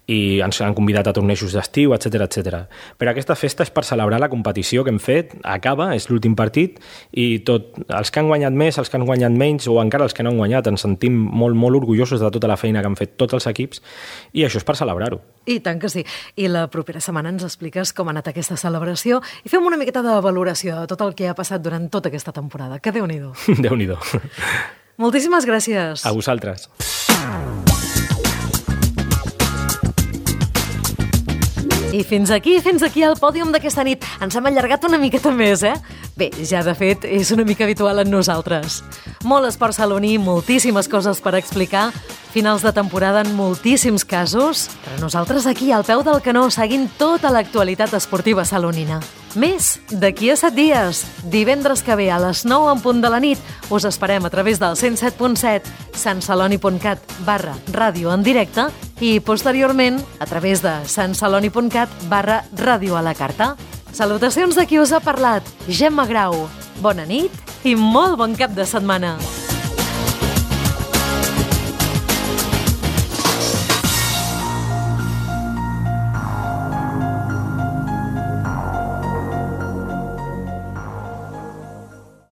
i ens han convidat a tornejos d'estiu, etc. Però aquesta festa és per celebrar la competició que hem fet, acaba, és l'últim partit, i els que han guanyat més, els que han guanyat menys, o encara els que no han guanyat, ens sentim molt, molt orgullosos de tota la feina que han fet tots els equips, i això és per celebrar-ho. I tant que sí. I la propera setmana ens expliques com ha anat aquesta celebració i fem una miqueta de valoració de tot el que ha passat durant tota aquesta temporada. Que Déu-n'hi-do. Déu-n'hi-do. Moltíssimes gràcies. A vosaltres. I fins aquí el pòdium d'aquesta nit. Ens hem allargat una miqueta més, Bé, ja de fet és una mica habitual en nosaltres. Molt esport saloní, moltíssimes coses per explicar, finals de temporada en moltíssims casos, però nosaltres aquí al peu del canó seguint tota l'actualitat esportiva salonina. Més d'aquí a 7 dies, divendres que ve a les 9 en punt de la nit, us esperem a través del 107.7, santceloni.cat/ràdio en directe i posteriorment a través de santceloni.cat/ràdio a la carta. Salutacions de qui us ha parlat, Gemma Grau. Bona nit i molt bon cap de setmana.